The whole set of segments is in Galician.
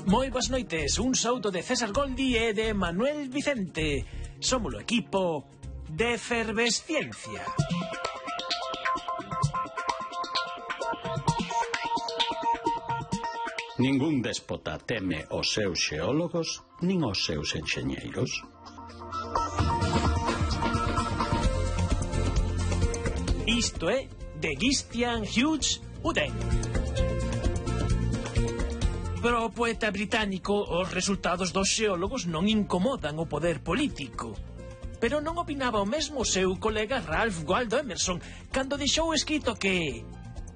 Moi boas noites, un saúdo de César Goldi e de Manuel Vicente. Somos o equipo de Efervesciencia. Ningún déspota teme os seus xeólogos nin os seus enxeñeiros. Isto é de Christian Hughes Uden. Para o poeta británico, os resultados dos xeólogos non incomodan o poder político. Pero non opinaba o mesmo o seu colega Ralph Waldo Emerson cando deixou escrito que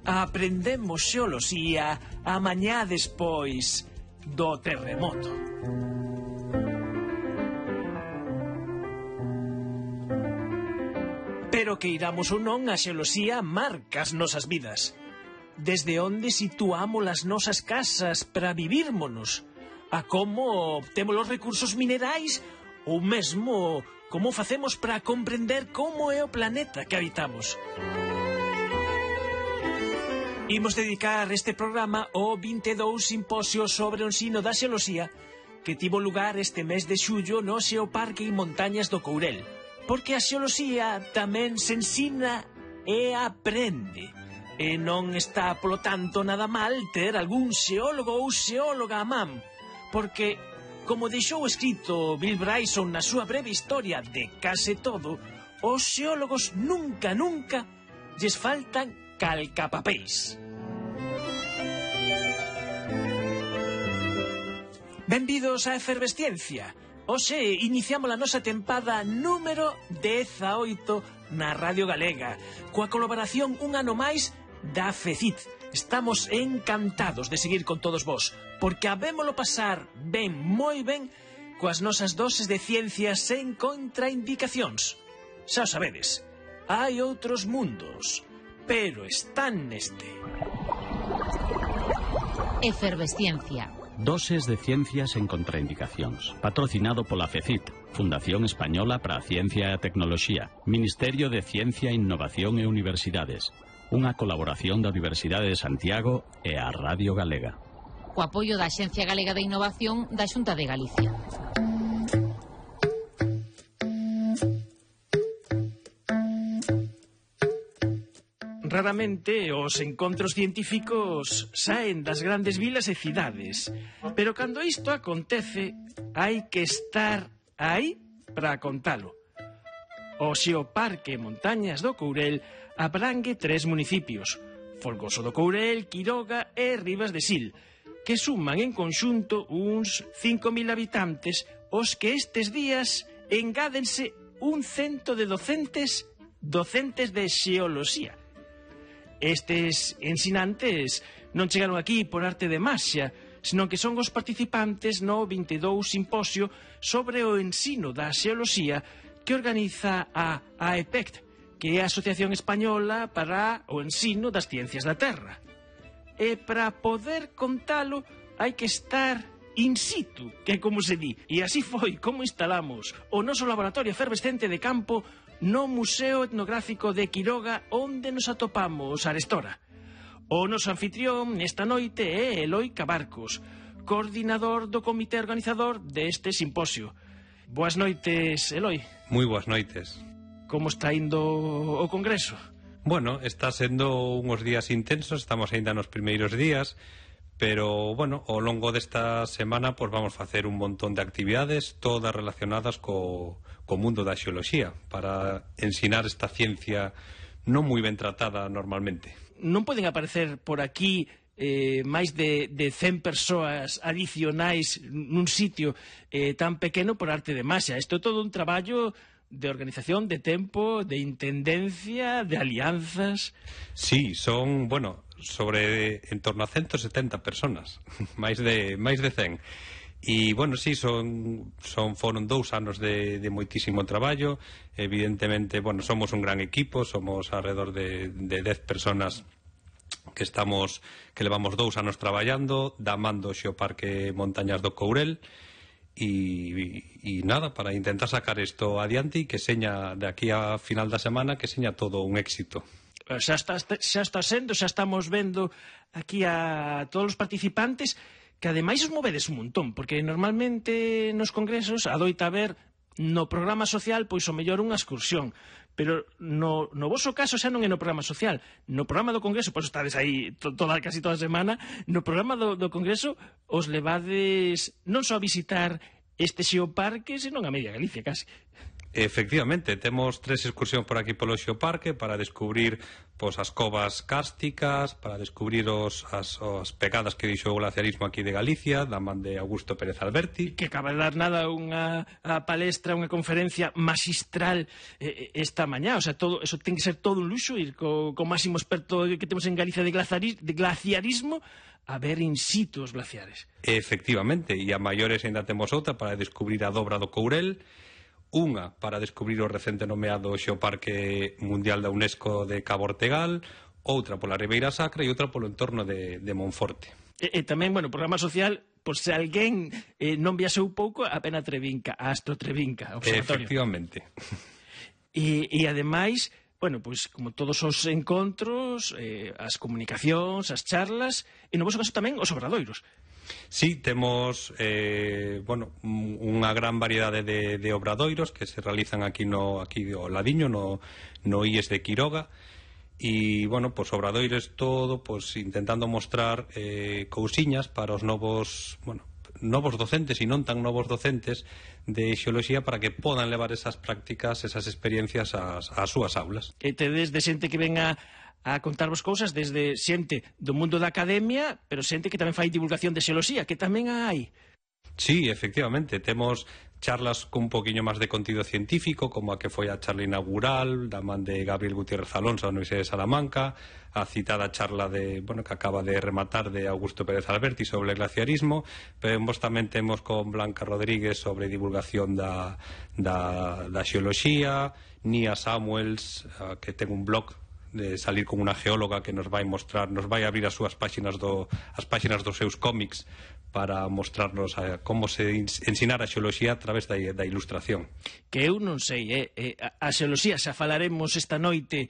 aprendemos xeoloxía a mañá despois do terremoto. Pero que iramos ou non, a xeoloxía marca as nosas vidas. Desde onde situamos as nosas casas para vivírmonos, a como obtemos os recursos minerais, ou mesmo como facemos para comprender como é o planeta que habitamos. Imos dedicar este programa ao 22 Simposio sobre o ensino da xeoloxía que tivo lugar este mes de xullo no Xeoparque e Montañas do Courel, porque a xeoloxía tamén se ensina e aprende. E non está, polo tanto, nada mal ter algún xeólogo ou xeóloga a man, porque, como deixou escrito Bill Bryson na súa breve historia de case todo, os xeólogos nunca lles faltan calcapapéis. Benvidos á Efervesciencia. Hoxe iniciamos a nosa tempada número 18 na Radio Galega, coa colaboración un ano máis da FECIT. Estamos encantados de seguir con todos vós, porque habémolo pasar ben, moi ben, coas nosas doses de ciencias sen contraindicacións. Xa o sabedes, hai outros mundos, pero están neste. Efervesciencia. Doses de ciencias en contraindicacións. Patrocinado pola FECIT, Fundación Española para a Ciencia e a Tecnoloxía, Ministerio de Ciencia, Innovación e Universidades. Unha colaboración da Universidade de Santiago e a Radio Galega. Co apoio da Axencia Galega de Innovación da Xunta de Galicia. Raramente os encontros científicos saen das grandes vilas e cidades, pero cando isto acontece hai que estar aí para contalo. O Xeoparque Montañas do Courel abrangue 3 municipios, Folgoso do Courel, Quiroga e Ribas de Sil, que suman en conxunto uns 5.000 habitantes, os que estes días engádense un cento de docentes de xeoloxía. Estes ensinantes non chegaron aquí por arte de maxia, senón que son os participantes no 22 Simposio sobre o ensino da xeoloxía que organiza a AEPECT, que é a Asociación Española para o Ensino das Ciencias da Terra. E para poder contalo hai que estar in situ, que é como se di. E así foi como instalamos o noso laboratorio efervescente de campo no Museo Etnográfico de Quiroga, onde nos atopamos arestora. O noso anfitrión esta noite é Eloi Cabarcos, coordinador do comité organizador deste simposio. Boas noites, Eloi. Moi boas noites. Como está indo o congreso? Bueno, está sendo unhos días intensos, estamos aínda nos primeiros días, pero, bueno, ao longo desta semana pues vamos facer un montón de actividades, todas relacionadas co mundo da xeoloxía, para ensinar esta ciencia non moi ben tratada normalmente. Non poden aparecer por aquí máis de 100 persoas adicionais nun sitio tan pequeno por arte de maxia. Isto é todo un traballo de organización, de tempo, de intendencia, de alianzas. Sí, son, bueno, sobre en torno a 170 personas, máis de 100. E, bueno, sí, foron 2 anos de moitísimo traballo. Evidentemente, bueno, somos un gran equipo, somos alrededor de 10 personas que levamos 2 anos traballando, da man do Xeoparque Montañas do Courel. E nada, para intentar sacar isto adiante e que seña de aquí a final da semana que seña todo un éxito. Xa está sendo, xa estamos vendo aquí a todos os participantes que ademais os movedes un montón, porque normalmente nos congresos adoita haber no programa social pois o mellor unha excursión, pero no voso caso xa non é no programa social, no programa do congreso, pois estades aí casi toda a semana, no programa do congreso os levades non só a visitar este xeoparque, senón a media Galicia casi. Efectivamente, temos 3 excursións por aquí polo Xeoparque para descubrir as covas cársticas, para descubrir as pegadas que dixo o glaciarismo aquí de Galicia, da man de Augusto Pérez Alberti. Que acaba de dar nada unha palestra, unha conferencia magistral esta mañá, o sea, todo, eso ten que ser todo un luxo, ir co máximo experto que temos en Galicia de glaciarismo a ver in situ os glaciares. Efectivamente, e a maiores ainda temos outra para descubrir a dobra do Courel, unha para descubrir o recente nomeado Xeoparque Mundial da UNESCO de Cabo Ortegal, outra pola Ribeira Sacra e outra polo entorno de Monforte. E tamén, bueno, programa social, por se alguén non viaxou pouco, a Pena Trevinca, a Astro Trevinca, observatorio. Efectivamente. E ademais, bueno, pois como todos os encontros, as comunicacións, as charlas, e no vosso caso tamén os obradoiros. Sí, temos unha gran variedade de obradoiros que se realizan aquí ao ladiño, no IES de Quiroga, e, obradoiros todo, intentando mostrar cousiñas para os novos docentes e non tan novos docentes de xeoloxía para que podan levar esas prácticas, esas experiencias ás súas aulas. E tedes de xente que venga a contarvos cousas desde xente do mundo da academia, pero xente que tamén fai divulgación de xeoloxía, que tamén hai. Sí, efectivamente, temos charlas con un poquinho máis de contido científico, como a que foi a charla inaugural da man de Gabriel Gutiérrez Alonso da Universidade de Salamanca, a citada charla que acaba de rematar de Augusto Pérez Alberti sobre o glaciarismo, pero vos tamén temos con Blanca Rodríguez sobre divulgación da xeoloxía, Nia Samuels, que ten un blog de salir con unha geóloga que nos vai mostrar, nos vai abrir as súas páxinas as páxinas dos seus cómics para mostrarnos como se ensinar a xeoloxía a través da ilustración. Que eu non sei, a xeoloxía xa falaremos esta noite,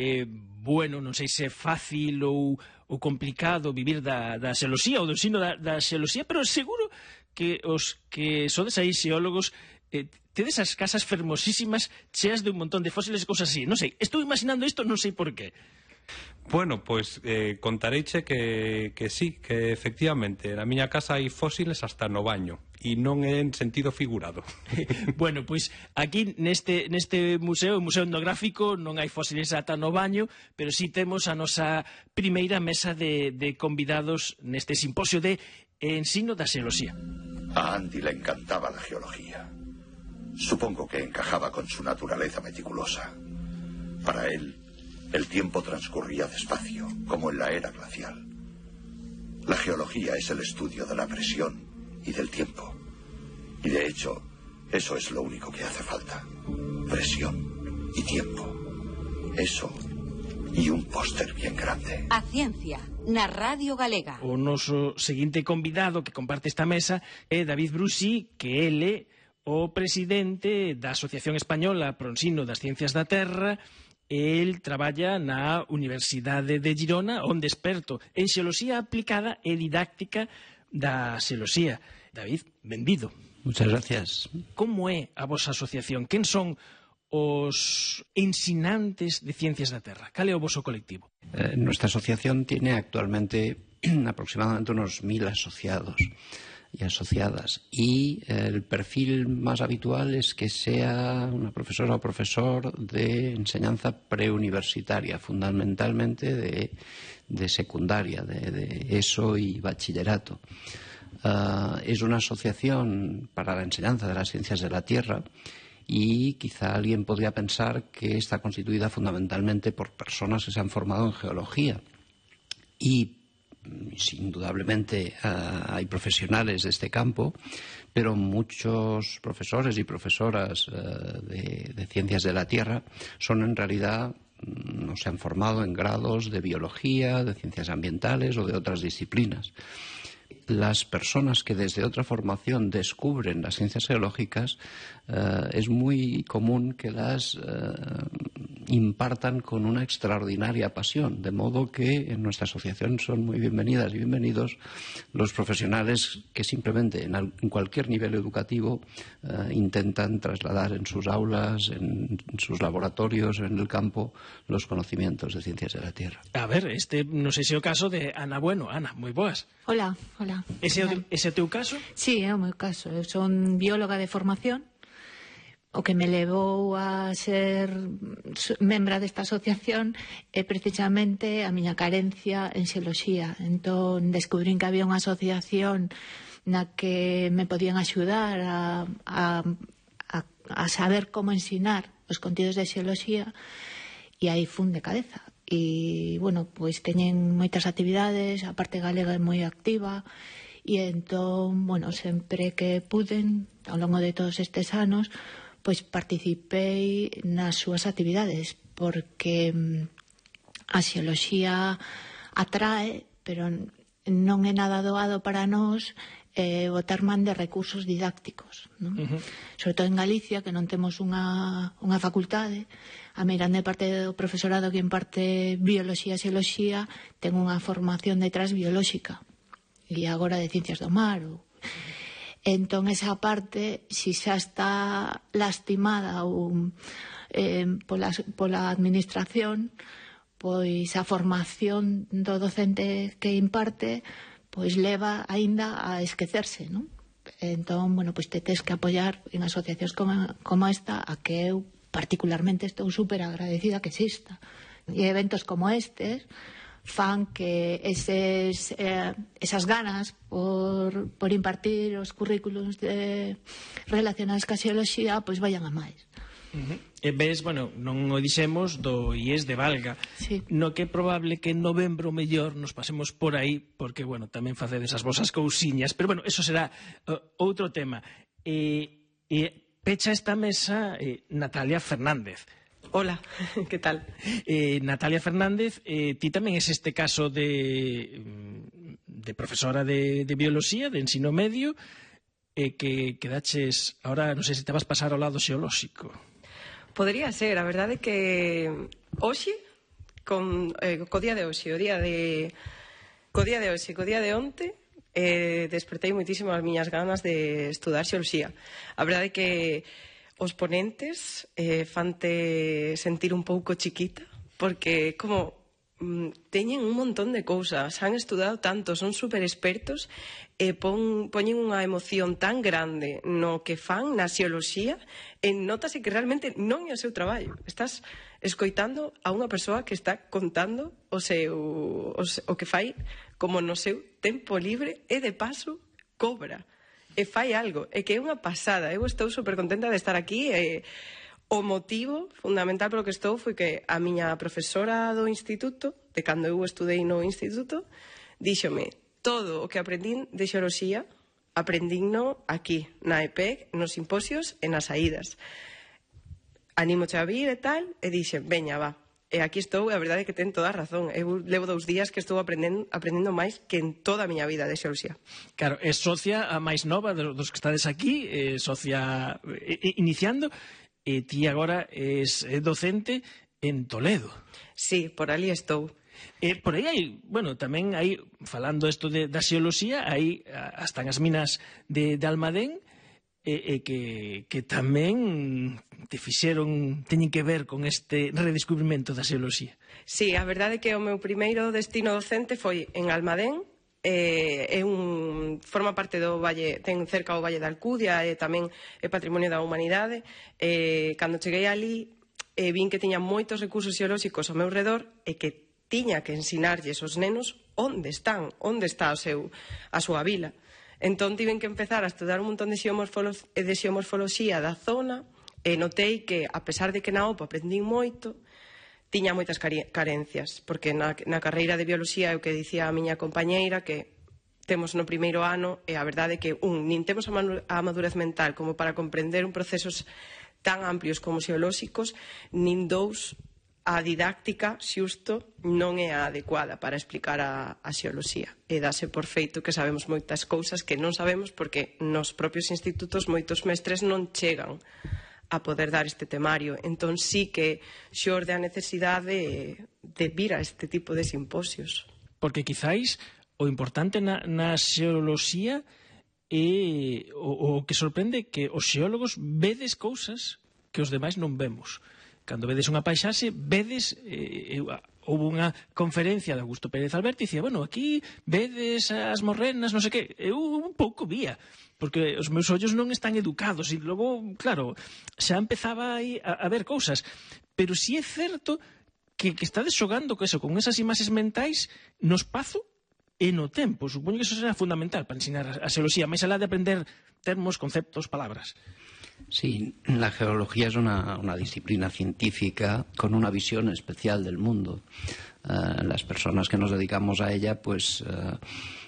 non sei se é fácil ou complicado vivir da xeoloxía ou do ensino da xeoloxía, pero seguro que os que sodes aí xeólogos tedes as casas fermosísimas cheas de un montón de fósiles e cousas así. Non sei, estou imaginando isto, non sei por qué. Bueno, contareiche que sí, que efectivamente na miña casa hai fósiles hasta no baño e non é en sentido figurado. Bueno, pois aquí neste museo, o Museo Etnográfico, non hai fósiles ata no baño, pero sí temos a nosa primeira mesa de convidados neste simposio de ensino da xeoloxía. A Andy le encantaba la geología. Supongo que encajaba con su naturaleza meticulosa. Para él, el tiempo transcurría despacio, como en la era glacial. La geología es el estudio de la presión y del tiempo. Y de hecho, eso es lo único que hace falta. Presión y tiempo. Eso y un póster bien grande. A ciencia, na Radio Galega. O noso seguinte convidado que comparte esta mesa é David Brusí, que ele o presidente da Asociación Española pro Ensino das Ciencias da Terra. El traballa na Universidade de Girona, onde experto en xeoloxía aplicada e didáctica da xeoloxía. David, benvido. Muchas gracias. Como é a vosa asociación? Quen son os ensinantes de Ciencias da Terra? Cal é o voso colectivo? Nuestra asociación tiene actualmente aproximadamente unos 1000 asociados y asociadas, y el perfil más habitual es que sea una profesora o profesor de enseñanza preuniversitaria, fundamentalmente de secundaria, de ESO y bachillerato. Es una asociación para la enseñanza de las ciencias de la Tierra, y quizá alguien podría pensar que está constituida fundamentalmente por personas que se han formado en geología, y indudablemente hay profesionales de este campo, pero muchos profesores y profesoras de ciencias de la Tierra son en realidad, no se han formado en grados de biología, de ciencias ambientales o de otras disciplinas. Las personas que desde otra formación descubren las ciencias geológicas, es muy común que las impartan con una extraordinaria pasión, de modo que en nuestra asociación son muy bienvenidas y bienvenidos los profesionales que simplemente en cualquier nivel educativo intentan trasladar en sus aulas, en sus laboratorios, en el campo, los conocimientos de ciencias de la Tierra. A ver, non sei se é o caso de Ana Bueno. Ana, moi boas. Hola. Ese é o teu caso? Sí, é o meu caso. Eu son bióloga de formación. O que me levou a ser membra desta asociación é precisamente a miña carencia en xeoloxía. Entón, descubrín que había unha asociación na que me podían axudar a saber como ensinar os contidos de xeoloxía, e aí fun de cabeza. E, bueno, pois teñen moitas actividades, a parte galega é moi activa, e entón, bueno, sempre que puden, ao longo de todos estes anos, pois participei nas súas actividades, porque a xeoloxía atrae, pero non é nada doado para nós botar man de recursos didácticos, non? Sobre todo en Galicia, que non temos unha facultade, a meirande parte do profesorado que imparte bioloxía e xeoloxía ten unha formación detrás biolóxica, e agora de ciencias do mar. Entón, esa parte, si xa está lastimada pola administración, pois a formación do docente que imparte pois leva aínda a esquecerse, non? Entón, bueno, pois te tes que apoiar en asociacións como esta, a que eu particularmente estou super agradecida que exista. E eventos como estes fan que esas ganas por impartir os currículos relacionados ca xeoloxía pois vayan a máis. E ves, bueno, non o dixemos do IES de Valga, sí. No que é probable que en novembro mellor nos pasemos por aí, porque, bueno, tamén facedes as vosas cousiñas, pero, bueno, eso será outro tema. Pecha esta mesa Natalia Fernández. Hola, que tal? Natalia Fernández, ti tamén es este caso de profesora de bioloxía, de ensino medio, que daches, ahora non sei se te vas pasar ao lado xeolóxico. Podría ser, a verdade é que hoxe, co día de hoxe, co día de onte, despertei moitísimo as miñas ganas de estudar xeoloxía. A verdade é que os ponentes fante sentir un pouco chiquita, porque como teñen un montón de cousas, han estudado tanto, son super expertos e poñen unha emoción tan grande no que fan na xeoloxía e notase que realmente non é o seu traballo. Estás escoitando a unha persoa que está contando o que fai como no seu tempo libre e de paso cobra e fai algo, e que é unha pasada. Eu estou super contenta de estar aquí e o motivo fundamental polo que estou foi que a miña profesora do instituto, de cando eu estudei no instituto, díxome todo o que aprendín de xeoloxía, aprendíno aquí, na EPEC, nos simposios e nas saídas. Anímoche a vir e tal, e dixen, veña, va. E aquí estou, e a verdade é que ten toda a razón. Eu levo 2 días que estou aprendendo máis que en toda a miña vida de xeoloxía. Claro, é socia a máis nova dos que estades aquí, socia iniciando, e ti agora és docente en Toledo. Sí, por ali estou. Por aí hai, bueno, tamén hai, falando isto da xeoloxía, hai hasta as minas de Almadén, que tamén te fixeron, teñen que ver con este redescubrimento da xeoloxía. Sí, a verdade é que o meu primeiro destino docente foi en Almadén, forma parte do valle, ten cerca o Valle da Alcudia e tamén é patrimonio da humanidade. Cando cheguei ali vin que tiña moitos recursos xeolóxicos ao meu redor e que tiña que ensinarlles aos nenos onde está a súa vila. Entón tiven que empezar a estudar un montón de xeomorfoloxía da zona e notei que, a pesar de que na OPA aprendín moito, tiña moitas carencias, porque na carreira de bioloxía é o que dicía a miña compañeira, que temos no primeiro ano, e a verdade é que, nin temos a madurez mental como para comprender un procesos tan amplios como xeolóxicos, nin 2, a didáctica xusto non é a adecuada para explicar a xeoloxía. E dase por feito que sabemos moitas cousas que non sabemos porque nos propios institutos moitos mestres non chegan a poder dar este temario. Entón sí que xorde a necesidade de vir a este tipo de simposios. Porque quizáis o importante na xeoloxía é o que sorprende que os xeólogos vedes cousas que os demais non vemos. Cando vedes unha paisaxe, vedes... houve unha conferencia de Augusto Pérez Alberti e dicía, bueno, aquí vedes as morrenas, non sei que. Eu un pouco vía, porque os meus ollos non están educados e logo, claro, xa empezaba aí a ver cousas. Pero si é certo que estades xogando con esas imaxes mentais no espazo e no tempo. Supoño que eso será fundamental para ensinar a xeoloxía, máis alá de aprender termos, conceptos, palabras. Sí, la geología es una disciplina científica con una visión especial del mundo. Las personas que nos dedicamos a ella, pues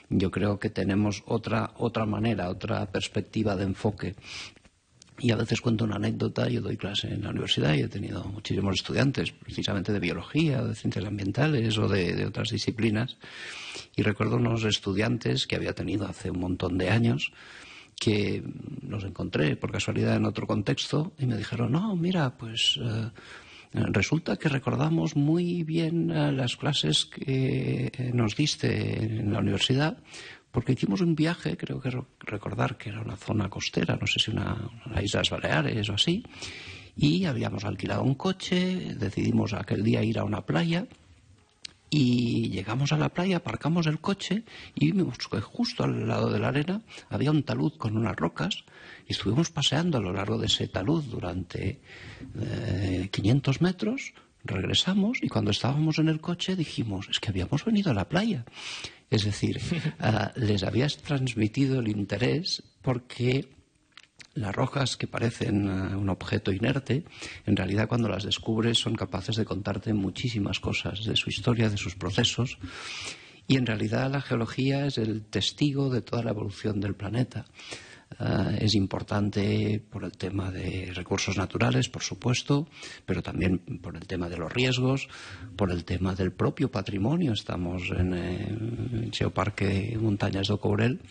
yo creo que tenemos otra manera, otra perspectiva de enfoque. Y a veces cuento una anécdota. Yo doy clase en la universidad y he tenido muchísimos estudiantes, precisamente de biología, de ciencias ambientales o de otras disciplinas. Y recuerdo unos estudiantes que había tenido hace un montón de años, que los encontré por casualidad en otro contexto y me dijeron, no, mira, pues resulta que recordamos muy bien las clases que nos diste en la universidad, porque hicimos un viaje, creo que recordar que era una zona costera, no sé si las Islas Baleares o así, y habíamos alquilado un coche, decidimos aquel día ir a una playa. Y llegamos a la playa, aparcamos el coche y vimos que justo al lado de la arena había un talud con unas rocas y estuvimos paseando a lo largo de ese talud durante 500 metros, regresamos y cuando estábamos en el coche dijimos, es que habíamos venido a la playa. Es decir, les habías transmitido el interés porque... Las rocas, que parecen un objeto inerte, en realidad cuando las descubres son capaces de contarte muchísimas cosas de su historia, de sus procesos, y en realidad la geología es el testigo de toda la evolución del planeta. Es importante por el tema de recursos naturales, por supuesto, pero también por el tema de los riesgos, por el tema del propio patrimonio. Estamos en el Geoparque Montañas do Courel.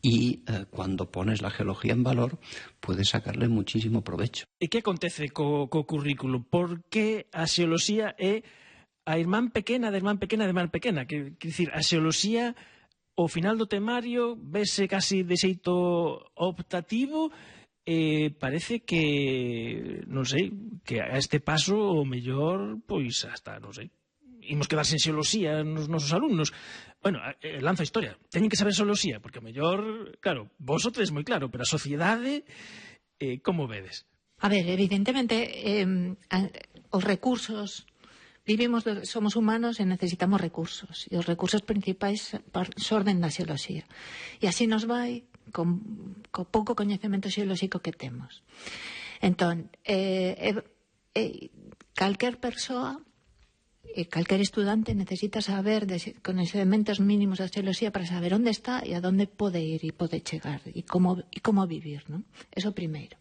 Y cuando pones la geología en valor, puedes sacarle muchísimo provecho. E que acontece co currículo? Por que a xeoloxía é a irmán pequena da irmán pequena da irmán pequena? Quer dicir, a xeoloxía, ao final do temario, vese casi de xeito optativo, parece que, non sei, que a este paso, o mellor, pois hasta, non sei, imos quedar sen xeoloxía nos nosos alumnos. Bueno, lanzo a historia. Teñen que saber xeoloxía, porque o mellor, claro, vos o tres moi claro, pero a sociedade, como vedes? A ver, evidentemente, os recursos, somos humanos e necesitamos recursos, e os recursos principais xorden da xeoloxía. E así nos vai con pouco coñecemento xeolóxico que temos. Entón, calquer persoa, calquer estudante necesita saber coñecementos mínimos da xeoloxía para saber onde está e a onde pode ir e pode chegar e como vivir, non? Eso primeiro.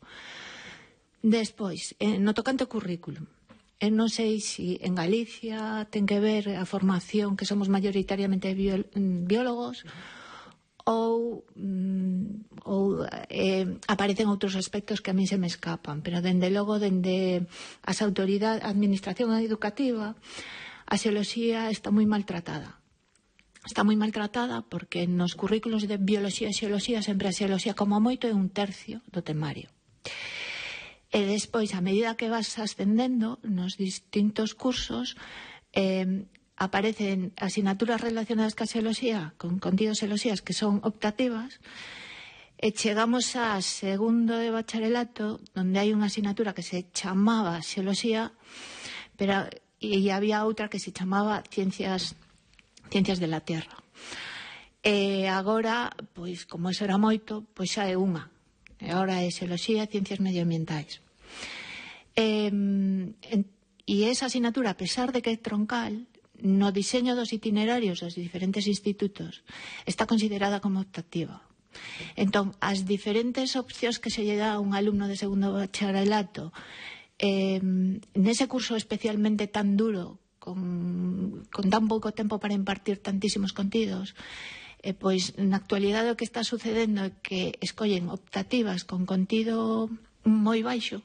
Despois, no tocante ao currículum, non sei se en Galicia ten que ver a formación que somos maioritariamente biólogos ou aparecen outros aspectos que a min se me escapan, pero dende logo, dende a administración educativa, a xeoloxía está moi maltratada. Está moi maltratada porque nos currículos de bioloxía e xeoloxía sempre a xeoloxía como moito é 1/3 do temario. E despois, a medida que vas ascendendo nos distintos cursos, aparecen asignaturas relacionadas ca xeoloxía, con contidos xeoloxías que son optativas, e chegamos a segundo de bacharelato, onde hai unha asignatura que se chamaba xeoloxía, pero e había outra que se chamaba ciencias de la Tierra. E agora, pois, como eso era moito, pois xa é unha. E agora é xeoloxía e ciencias medioambientais. E esa asignatura, a pesar de que é troncal, no diseño dos itinerarios dos diferentes institutos está considerada como optativa. Entón, as diferentes opcións que se lle dá a un alumno de segundo bacharelato nese curso especialmente tan duro, con tan pouco tempo para impartir tantísimos contidos, pois na actualidade o que está sucedendo é que escollen optativas con contido moi baixo,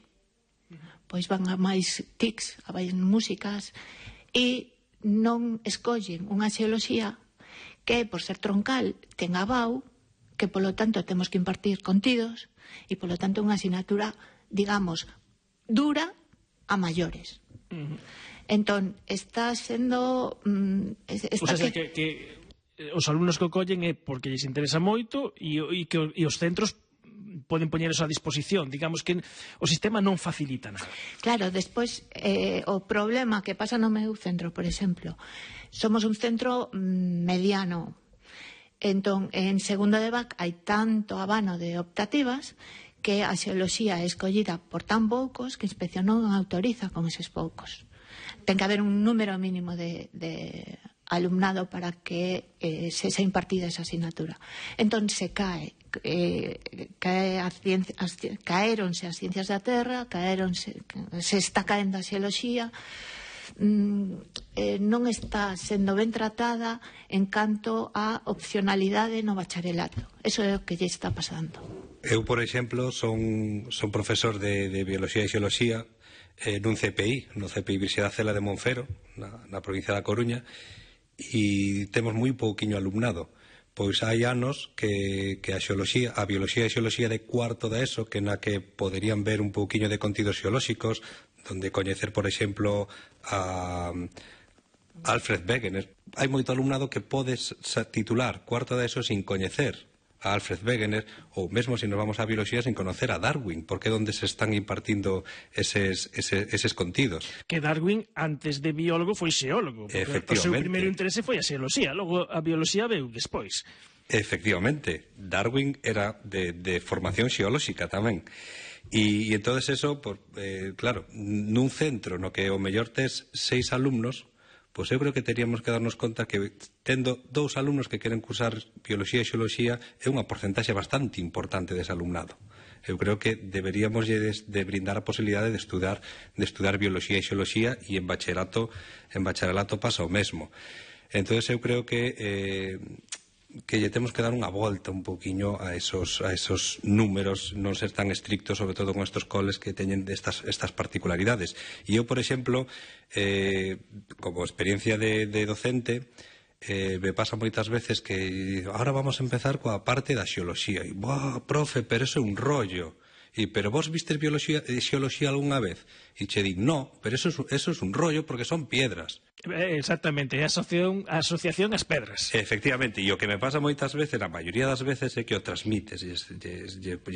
pois van a máis TICs, a máis músicas, e non escollen unha xeoloxía que, por ser troncal, ten abao, que, polo tanto, temos que impartir contidos, e, polo tanto, unha asignatura, digamos, dura a maiores. Entón, está sendo... O sea, que os alumnos que o collen é porque lles interesa moito e os centros poden poñer eso a disposición. Digamos que o sistema non facilita nada. Claro, despois, o problema que pasa no meu centro, por exemplo, somos un centro mediano. Entón, en segundo de BAC hai tanto abano de optativas que a xeoloxía é escollida por tan poucos que a inspección non autoriza con eses poucos. Ten que haber un número mínimo de alumnado para que se impartida esa asignatura. Entón, se caéronse as ciencias da terra, se está caendo a xeoloxía, non está sendo ben tratada en canto a opcionalidade no bacharelato. Eso é o que lle está pasando. Eu, por exemplo, son profesor de Biología e Xeoloxía nun CPI, no CPI Virxidad Cela de Monfero, na provincia da Coruña, e temos moi pouquiño alumnado. Pois hai anos que a Biología e Xeoloxía de cuarto da ESO, que na que poderían ver un pouquiño de contidos xeolóxicos, donde coñecer, por exemplo, a Alfred Wegener. Hai moito alumnado que podes titular cuarto da ESO sin coñecer a Alfred Wegener, ou mesmo se nos vamos a biología sin conocer a Darwin, porque é onde se están impartindo eses contidos. Que Darwin, antes de biólogo, foi xeólogo. O seu primeiro interese foi a xeoloxía, logo a bioloxía veu despois. Efectivamente, Darwin era de formación xeolóxica tamén. E entonces eso, claro, nun centro no que o mellor tes 6 alumnos, pois eu creo que teríamos que darnos conta que tendo 2 alumnos que queren cursar Biología e Xeoloxía é unha porcentaxe bastante importante dese alumnado. Eu creo que deberíamos de brindar a posibilidade de estudar Biología e Xeoloxía, e en bacharelato pasa o mesmo. Entonces eu creo que lle temos que dar unha volta un poquinho a esos números, non ser tan estrictos, sobre todo con estos coles que teñen estas particularidades. E eu, por exemplo, como experiencia de docente, me pasa moitas veces que ahora vamos a empezar coa parte da xeoloxía. E, profe, pero eso é un rollo. Pero vos vistes biología e xeoloxía algunha vez? E che di, no, pero eso é un rollo porque son piedras. Exactamente, é a asociación ás pedras. Efectivamente, e o que me pasa moitas veces, a maioría das veces, é que o transmites, lles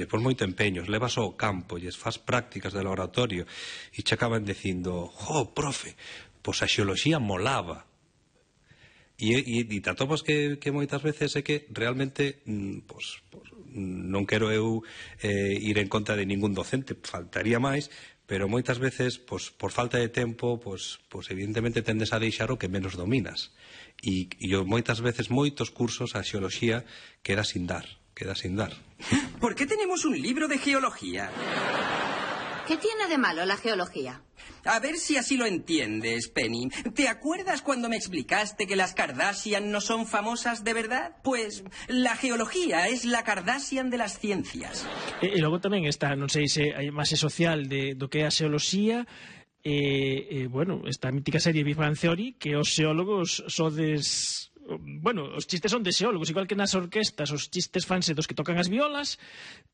pon moito empeño, levas ao campo, lles faz prácticas de laboratorio, e che acaban dicindo, profe, pois a xeoloxía molaba. E te atopas que moitas veces é que realmente non quero eu ir en contra de ningún docente, faltaría máis, pero moitas veces, por falta de tempo, evidentemente tendes a deixar o que menos dominas. E moitas veces, moitos cursos, a xeoloxía queda sin dar. ¿Por qué tenemos un libro de geología? ¿Qué tiene de malo la geología? A ver si así lo entiendes, Penny. ¿Te acuerdas cuando me explicaste que las Kardashian no son famosas de verdad? Pues la geología es la Kardashian de las ciencias. E logo tamén está, non sei se hai máis social do que é a xeoloxía, bueno, esta mítica serie Big Bang Theory, que os xeólogos sodes... Bueno, os chistes son de xeólogos, igual que nas orquestas os chistes fanse dos que tocan as violas,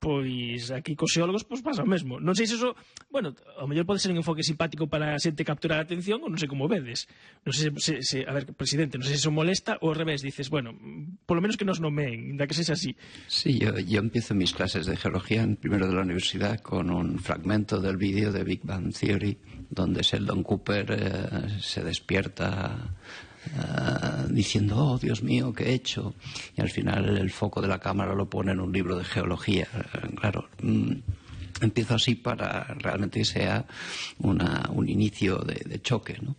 pois aquí cos xeólogos pasa o mesmo. Non sei se eso, bueno, ao mellor pode ser un enfoque simpático para a xente capturar a atención, ou non sei como vedes. Non sei se a ver, presidente, non sei se eso molesta, ou ao revés, dices, bueno, polo menos que nos nomeen, da que sexa así. Sí, yo empiezo mis clases de geología en primero de la universidad con un fragmento del vídeo de Big Bang Theory, donde Sheldon Cooper se despierta diciendo, oh Dios mío, ¿qué he hecho? Y al final el foco de la cámara lo pone en un libro de geología. Claro, empiezo así para realmente que sea un inicio de choque, ¿no?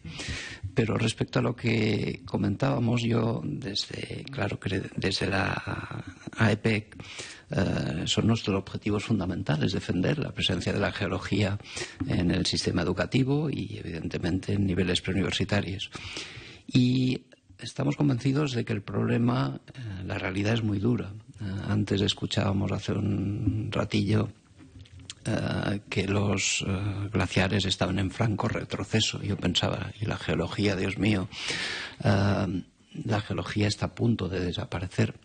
Pero respecto a lo que comentábamos, yo desde la AEPEC son nuestros objetivos fundamentales defender la presencia de la geología en el sistema educativo y evidentemente en niveles preuniversitarios. Y estamos convencidos de que el problema, la realidad es muy dura. Antes escuchábamos hace un ratillo que los glaciares estaban en franco retroceso. Yo pensaba, y la geología, Dios mío, la geología está a punto de desaparecer.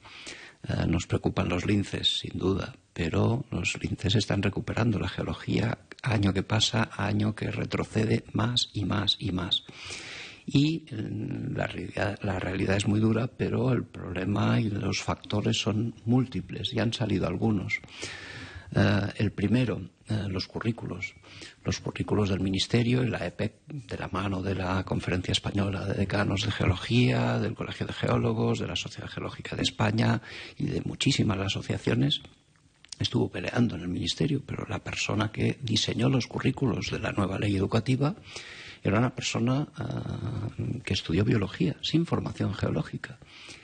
Nos preocupan los linces, sin duda, pero los linces están recuperando. La geología, año que pasa, año que retrocede más y más y más. Y la realidad es muy dura, pero el problema y los factores son múltiples, y han salido algunos. El primero, los currículos. Los currículos del Ministerio y la EPEC, de la mano de la Conferencia Española de Decanos de Geología, del Colegio de Geólogos, de la Sociedad Geológica de España y de muchísimas asociaciones, estuvo peleando en el Ministerio, pero la persona que diseñó los currículos de la nueva ley educativa era una persona que estudió biología, sin formación geológica.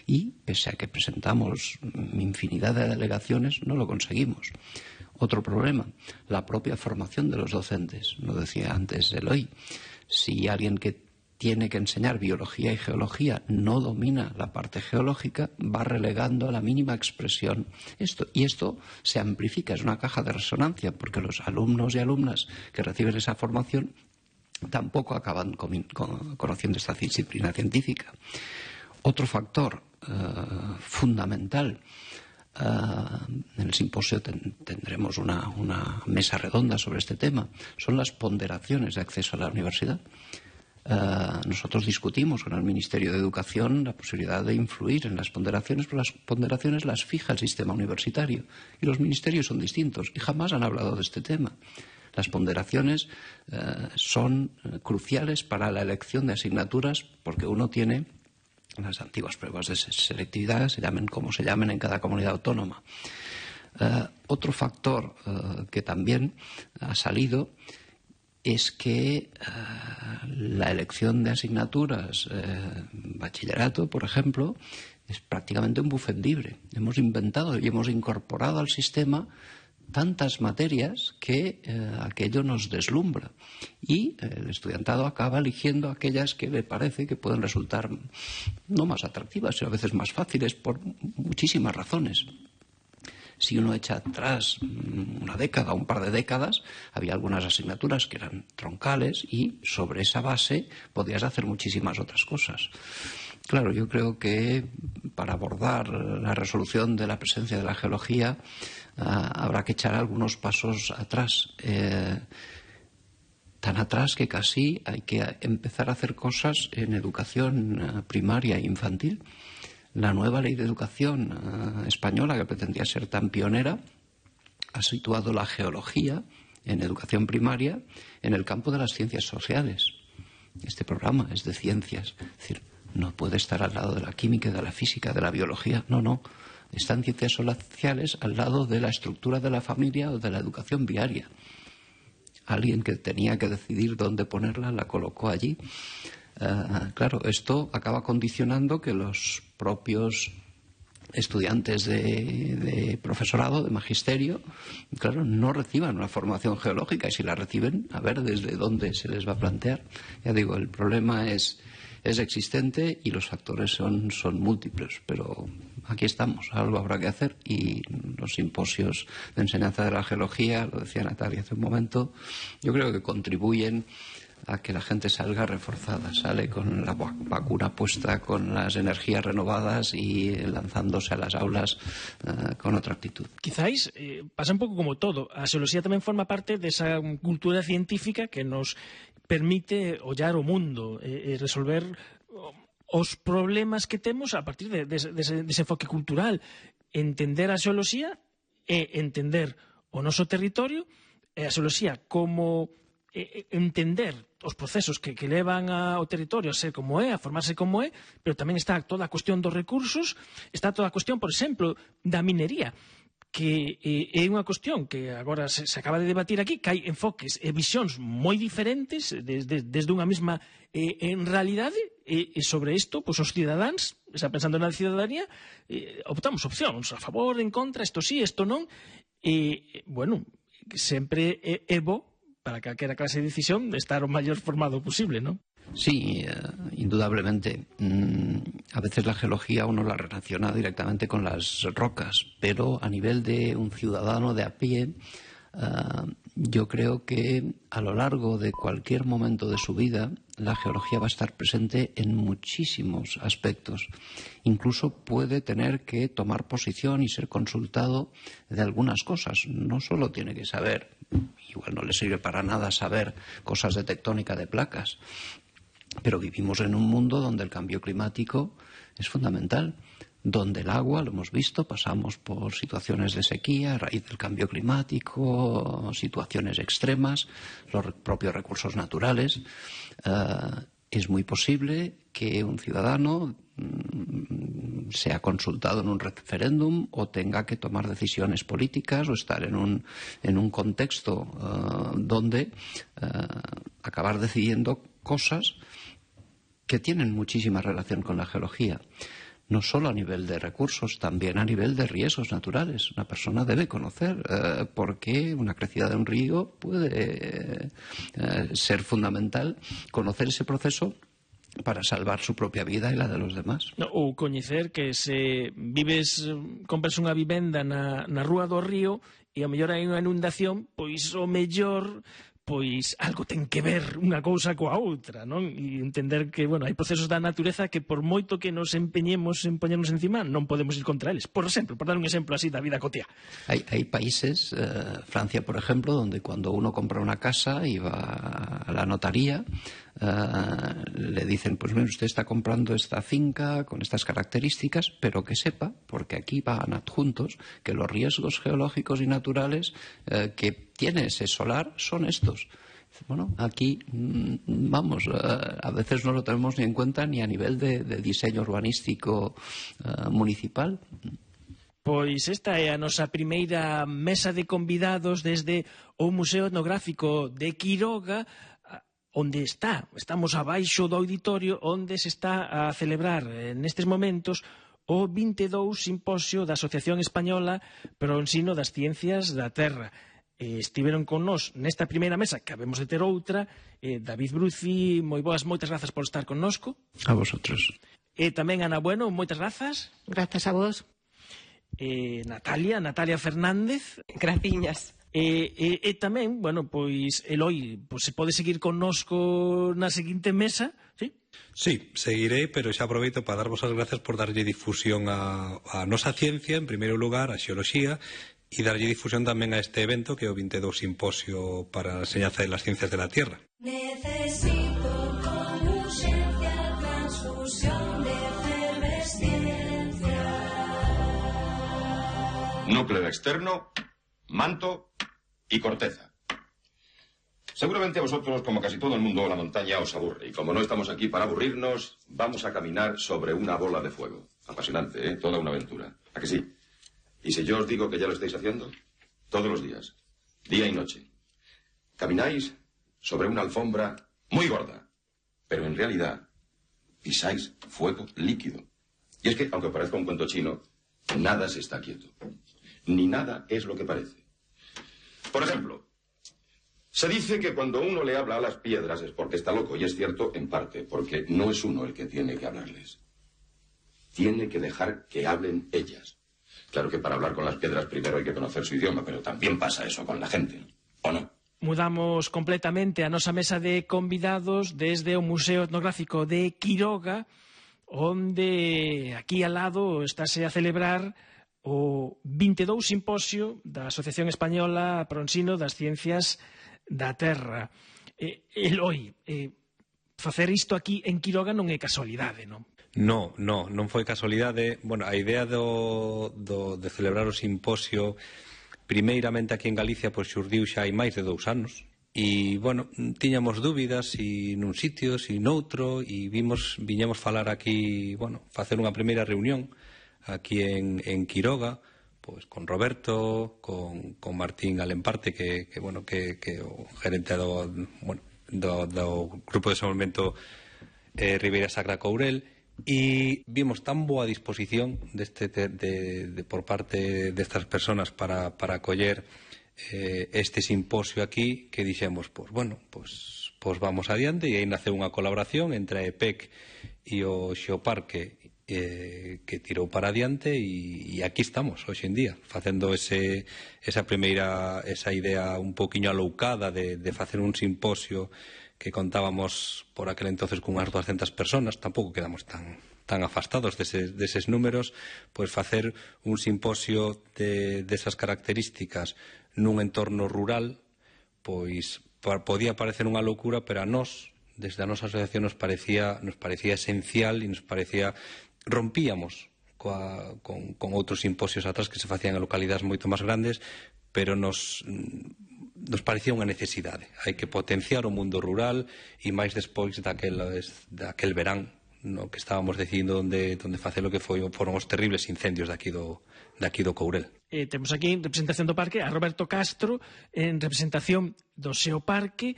Y, pese a que presentamos infinidad de alegaciones, no lo conseguimos. Otro problema, la propia formación de los docentes. Lo decía antes Eloy. Si alguien que tiene que enseñar biología y geología no domina la parte geológica, va relegando a la mínima expresión esto. Y esto se amplifica, es una caja de resonancia, porque los alumnos y alumnas que reciben esa formación tampoco acaban conociendo esta disciplina científica. Otro factor fundamental, en el simposio tendremos una mesa redonda sobre este tema, son las ponderaciones de acceso a la universidad. Nosotros discutimos con el Ministerio de Educación la posibilidad de influir en las ponderaciones, pero las ponderaciones las fija el sistema universitario y los ministerios son distintos y jamás han hablado de este tema. Las ponderaciones son cruciales para la elección de asignaturas porque uno tiene las antiguas pruebas de selectividad, se llamen como se llamen en cada comunidad autónoma. Otro factor que también ha salido es que la elección de asignaturas, bachillerato, por ejemplo, es prácticamente un buffet libre. Hemos inventado y hemos incorporado al sistema tantas materias que aquello nos deslumbra y el estudiantado acaba eligiendo aquellas que le parece que pueden resultar no más atractivas, sino a veces más fáciles por muchísimas razones. Si uno echa atrás una década o un par de décadas, había algunas asignaturas que eran troncales y sobre esa base podías hacer muchísimas otras cosas. Claro, yo creo que para abordar la resolución de la presencia de la geología habrá que echar algunos pasos atrás, tan atrás que casi hay que empezar a hacer cosas en educación primaria e infantil. La nueva ley de educación española, que pretendía ser tan pionera, ha situado la geología en educación primaria en el campo de las ciencias sociales. Este programa es de ciencias, es decir, no puede estar al lado de la química, de la física, de la biología, no. Están ciencias sociales al lado de la estructura de la familia o de la educación viaria. Alguien que tenía que decidir dónde ponerla la colocó allí. Claro, esto acaba condicionando que los propios estudiantes de profesorado, de magisterio, claro, no reciban una formación geológica y si la reciben, a ver desde dónde se les va a plantear. Ya digo, el problema es existente y los factores son múltiples, pero aquí estamos, algo habrá que hacer y los simposios de enseñanza de la geología, lo decía Natalia hace un momento, yo creo que contribuyen a que la gente salga reforzada, sale con la vacuna puesta, con las energías renovadas y lanzándose a las aulas con otra actitud. Quizáis pasa un pouco como todo. A xeoloxía tamén forma parte desa cultura científica que nos permite ollar o mundo e resolver os problemas que temos a partir dese enfoque cultural. Entender a xeoloxía e entender o noso territorio e a xeoloxía como entender os procesos que levan ao territorio a ser como é, a formarse como é, pero tamén está toda a cuestión dos recursos, está toda a cuestión, por exemplo, da minería, que é unha cuestión que agora se acaba de debatir aquí, que hai enfoques e visións moi diferentes desde unha mesma en realidade, e sobre isto, pois os cidadáns, xa pensando na cidadanía, optamos opcións, a favor, en contra, isto sí, isto non, e, bueno, sempre é bo para calquera clase de decisión de estar o maior formado posible, ¿no? Sí, indudablemente. A veces la geología uno la relaciona directamente con las rocas, pero a nivel de un ciudadano de a pie, yo creo que a lo largo de cualquier momento de su vida la geología va a estar presente en muchísimos aspectos. Incluso puede tener que tomar posición y ser consultado de algunas cosas. No solo tiene que saber, igual no le sirve para nada saber cosas de tectónica de placas, pero vivimos en un mundo donde el cambio climático es fundamental, donde el agua, lo hemos visto, pasamos por situaciones de sequía a raíz del cambio climático, situaciones extremas, los propios recursos naturales. Es muy posible que un ciudadano sea consultado en un referéndum o tenga que tomar decisiones políticas o estar en un contexto donde acabar decidiendo cosas que tienen muchísima relación con la geología. No solo a nivel de recursos, también a nivel de riesgos naturales. Una persona debe conocer por qué una crecida de un río puede ser fundamental, conocer ese proceso para salvar su propia vida e la de los demás. Ou coñecer que se compras unha vivenda na rúa do río e ao mellor hai unha inundación, pois o mellor algo ten que ver unha cousa coa outra, non? E entender que, hai procesos da natureza que por moito que nos empeñemos en poñernos encima, non podemos ir contra eles. Por exemplo, por dar un exemplo así da vida cotiá. Hay países, Francia por ejemplo, donde cuando uno compra una casa y va a la notaría, le dicen, pues mire, usted está comprando esta finca con estas características, pero que sepa, porque aquí van adjuntos, que los riesgos geológicos y naturales que tiene ese solar son estos. Bueno, aquí, a veces no lo tenemos ni en cuenta ni a nivel de diseño urbanístico municipal. Pois esta é a nosa primeira mesa de convidados desde o Museo Etnográfico de Quiroga, onde estamos abaixo do auditorio, onde se está a celebrar nestes momentos o 22 Simposio da Asociación Española para o Ensino das Ciencias da Terra. Estiveron con nós nesta primeira mesa, que habemos de ter outra, David Bruci, moitas grazas por estar connosco. A vosotros. E tamén Ana Bueno, moitas grazas. Grazas a vos. Natalia Fernández. Graciñas. E tamén, Eloi, se pode seguir connosco na seguinte mesa, sí? Sí, seguiré, pero xa aproveito para darvos as grazas por darlle difusión a nosa ciencia, en primeiro lugar, a xeoloxía, e darlle difusión tamén a este evento que é o 22 Simposio para a enseñanza de las ciencias de la Tierra. Necesito con urgencia transfusión de efervesciencia. Núcleo externo, manto y corteza. Seguramente a vosotros, como casi todo el mundo, la montaña os aburre. Y como no estamos aquí para aburrirnos, vamos a caminar sobre una bola de fuego. Apasionante, ¿eh? Toda una aventura. ¿A que sí? Y si yo os digo que ya lo estáis haciendo, todos los días, día y noche, camináis sobre una alfombra muy gorda, pero en realidad pisáis fuego líquido. Y es que, aunque parezca un cuento chino, nada se está quieto. Ni nada es lo que parece. Por ejemplo, se dice que cuando uno le habla a las piedras es porque está loco, y es cierto en parte, porque no es uno el que tiene que hablarles. Tiene que dejar que hablen ellas. Claro que para hablar con las piedras primero hay que conocer su idioma, pero también pasa eso con la gente, ¿o no? Mudamos completamente a nosa mesa de convidados desde o Museo Etnográfico de Quiroga, onde aquí al lado estáse a celebrar o 22 Simposio da Asociación Española para o Ensino das Ciencias da Terra. Eloi, facer isto aquí en Quiroga non é casualidade, non? Non foi casualidade. A idea de celebrar o simposio primeiramente aquí en Galicia xurdiu xa hai máis de 2 anos e, tiñamos dúbidas se nun sitio, se noutro e viñemos falar aquí, facer unha primeira reunión aquí en Quiroga, con Roberto, con Martín Alemparte, que o gerente do Grupo de Desenvolvemento Ribeira Sacra Courel, e vimos tan boa disposición por parte destas personas para acoller este simposio aquí que dixemos, vamos adiante, e aí naceu unha colaboración entre a EPEC e o Xeoparque que tirou para adiante e aquí estamos hoxe en día facendo esa idea un poquinho aloucada de facer un simposio que contábamos por aquel entonces cunhas 200 personas, tampouco quedamos tan afastados deses números, pois facer un simposio desas características nun entorno rural, pois podía parecer unha loucura, pero a nós, desde a nosa asociación, nos parecía esencial e nos parecía rompíamos con outros simposios atrás que se facían en localidades moito máis grandes, pero nos parecía unha necesidade. Hai que potenciar o mundo rural e máis despois daquel verán no que estábamos decidindo onde facer o que foron os terribles incendios de aquí do Courel. Temos aquí en representación do parque a Roberto Castro en representación do SEO Parque.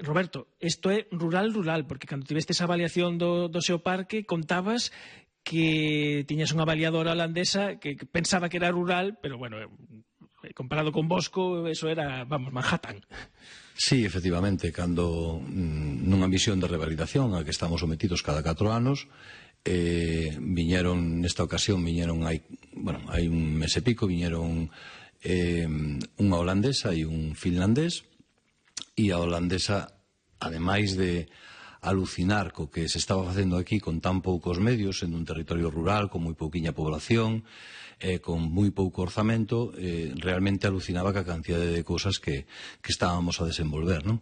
Roberto, isto é rural, porque cando tivestes a avaliación do SEO Parque contabas que tiñas unha avaliadora holandesa que pensaba que era rural, pero bueno, comparado con Bosco, eso era, vamos, Manhattan. Sí, efectivamente, cando nunha misión de revalidación a que estamos sometidos cada 4 anos, nesta ocasión viñeron hai un mes e pico, viñeron unha holandesa e un finlandés, e a holandesa, ademais de alucinar co que se estaba facendo aquí con tan poucos medios, en un territorio rural, con moi pouquiña población, con moi pouco orzamento, realmente alucinaba ca cantidade de cousas que estábamos a desenvolver, non?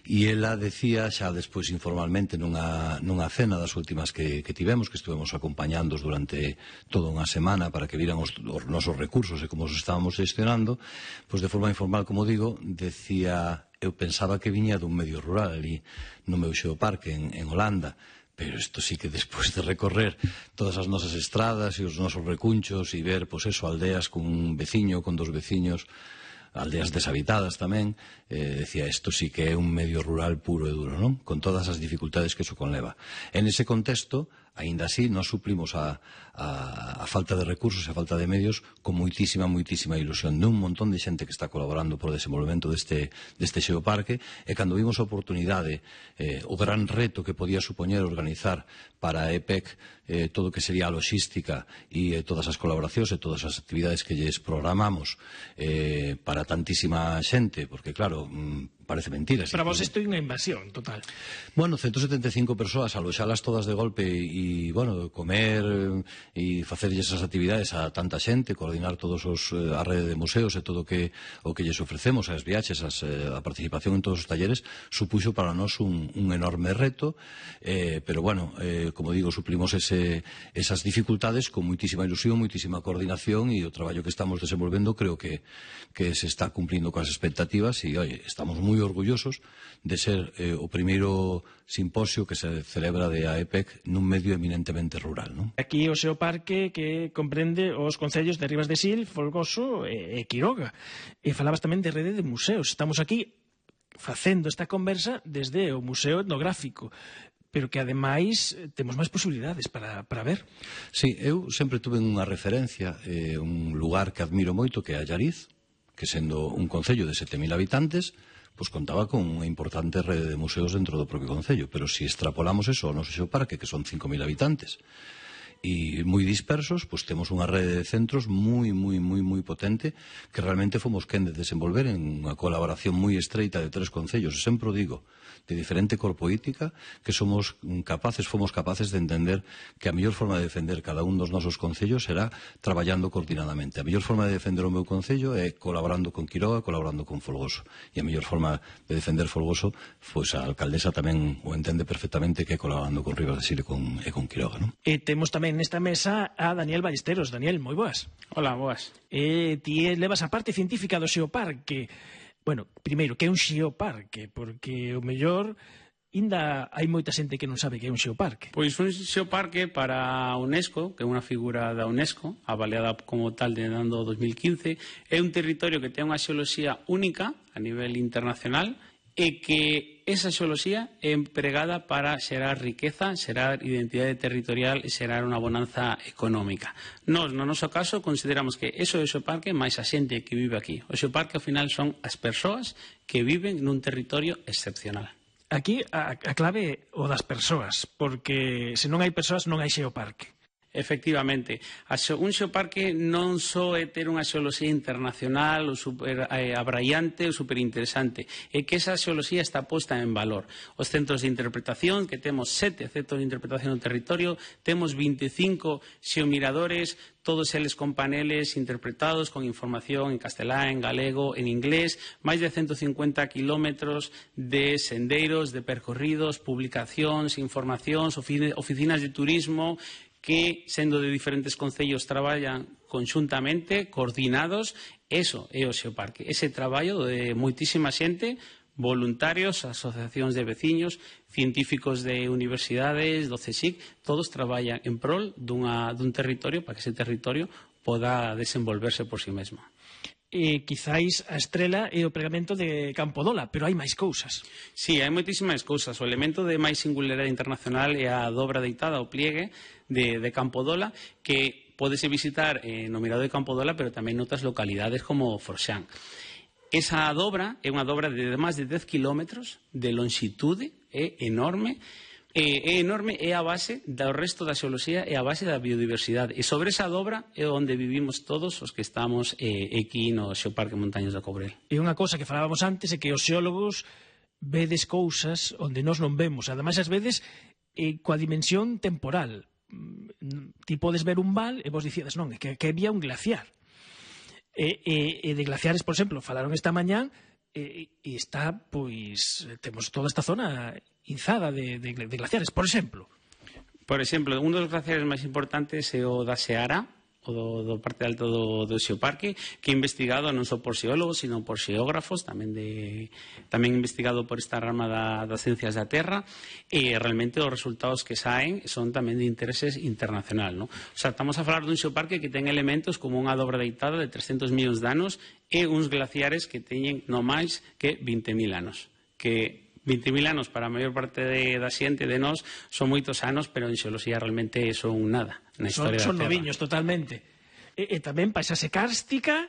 E ela decía, xa despois informalmente nunha cena das últimas que tivemos, que estivemos acompañándos durante toda unha semana para que viran os nosos recursos e como os estábamos gestionando, pois de forma informal, como digo, decía: eu pensaba que viña dun medio rural ali no meu xeoparque en Holanda, pero isto sí que despois de recorrer todas as nosas estradas e os nosos recunchos e ver, pois eso, aldeas con un veciño, con 2 veciños, aldeas deshabitadas tamén, decía, isto sí que é un medio rural puro e duro, non? Con todas as dificultades que iso conleva. En ese contexto, aínda así, nos suplimos a falta de recursos e a falta de medios con moitísima ilusión de un montón de xente que está colaborando por o desenvolvemento deste xeoparque, e cando vimos a oportunidade, o gran reto que podía supoñer organizar para a EPEC todo o que sería a logística e todas as colaboracións e todas as actividades que lles programamos para tantísima xente, porque claro, parece mentira. Para vos isto é unha invasión total. Bueno, 175 persoas, aloxalas todas de golpe e, bueno, comer e facerlles esas actividades a tanta xente, coordinar todos a rede de museos e todo o que lles ofrecemos, as viaxes, a participación en todos os talleres, supuxo para nós un enorme reto, pero, bueno, como digo, suplimos esas dificultades con moitísima ilusión, moitísima coordinación, e o traballo que estamos desenvolvendo creo que se está cumplindo coas expectativas e, oi, estamos moi orgullosos de ser o primeiro simposio que se celebra de AEPEC nun medio eminentemente rural, non? Aquí o SEO Parque que comprende os concellos de Ribas de Sil, Folgoso e Quiroga. E falabas tamén de rede de museos. Estamos aquí facendo esta conversa desde o Museo Etnográfico, pero que ademais temos máis posibilidades para ver. Sí, eu sempre tuve unha referencia, un lugar que admiro moito, que é Allariz, que sendo un concello de 7.000 habitantes, pois contaba con unha importante rede de museos dentro do propio concello, pero se extrapolamos eso ao noso xeoparque, que son 5.000 habitantes, e moi dispersos, pois temos unha rede de centros moi potente, que realmente fomos quen de desenvolver en unha colaboración moi estreita de 3 concellos, e sempre o digo, de diferente cor política, que fomos capaces de entender que a mellor forma de defender cada un dos nosos concellos será traballando coordinadamente. A mellor forma de defender o meu concello é colaborando con Quiroga, colaborando con Folgoso. E a mellor forma de defender Folgoso, pois a alcaldesa tamén o entende perfectamente, que é colaborando con Ribas de Sil e con Quiroga, non? E temos tamén nesta mesa a Daniel Ballesteros. Daniel, moi boas. Hola, boas. Ti levas a parte científica do xeoparque. Bueno, primeiro, que é un xeoparque? Porque o mellor ainda hai moita xente que non sabe que é un xeoparque. Pois un xeoparque para a UNESCO, que é unha figura da UNESCO, avaliada como tal de ano 2015, é un territorio que ten unha xeoloxía única a nivel internacional e que esa xeoloxía é empregada para xerar riqueza, xerar identidade territorial e xerar unha bonanza económica. Nós, no noso caso, consideramos que eso é o xeoparque máis a xente que vive aquí. O xeoparque, ao final, son as persoas que viven nun territorio excepcional. Aquí a clave é o das persoas, porque se non hai persoas non hai xeoparque. Efectivamente, un xeoparque non só é ter unha xeoloxía internacional ou super abraiante ou superinteresante, é que esa xeoloxía está posta en valor. Os centros de interpretación, que temos 7 centros de interpretación no territorio, temos 25 xeomiradores, todos eles con paneles interpretados con información en castelán, en galego, en inglés, máis de 150 kilómetros de sendeiros, de percorridos, publicacións, informacións, oficinas de turismo que, sendo de diferentes concellos, traballan conxuntamente, coordinados. Eso é o xeoparque. Ese traballo de moitísima xente, voluntarios, asociacións de veciños, científicos de universidades, do CSIC, todos traballan en prol dun territorio para que ese territorio poda desenvolverse por si mesmo. Quizáis a estrela é o pregamento de Campodola, pero hai máis cousas. Sí, hai moitísimas cousas. O elemento de máis singularidade internacional é a dobra deitada, o pliegue de Campodola, que pódese visitar no Mirador de Campodola, pero tamén noutras localidades como Forxán. Esa dobra é unha dobra de máis de 10 kilómetros de longitude, é enorme, é a base do resto da xeoloxía, é a base da biodiversidade. E sobre esa dobra é onde vivimos todos os que estamos aquí no Xeoparque Montañas do Courel. E unha cousa que falábamos antes é que os xeólogos vedes cousas onde nós non vemos. Ademais, ás veces, coa dimensión temporal. Ti podes ver un val e vos dicides, non, é que había un glaciar. E de glaciares, por exemplo, falaron esta mañán e está, pois, temos toda esta zona inzada de glaciares, por exemplo. Por exemplo, un dos glaciares máis importantes é o da Seara, o do parte alto do Xeoparque, que é investigado non só por xeólogos, sino por xeógrafos, tamén investigado por esta rama das ciencias da Terra, e realmente os resultados que saen son tamén de intereses internacional, non? O sea, estamos a falar dun Xeoparque que ten elementos como unha dobra deitada de 300 millóns de anos e uns glaciares que teñen no máis que 20.000 anos, que 20.000 anos para a maior parte da xente de nós son moitos anos, pero en xeoloxía realmente son nada na historia da Terra. Son noviños totalmente. E tamén paisaxe kárstica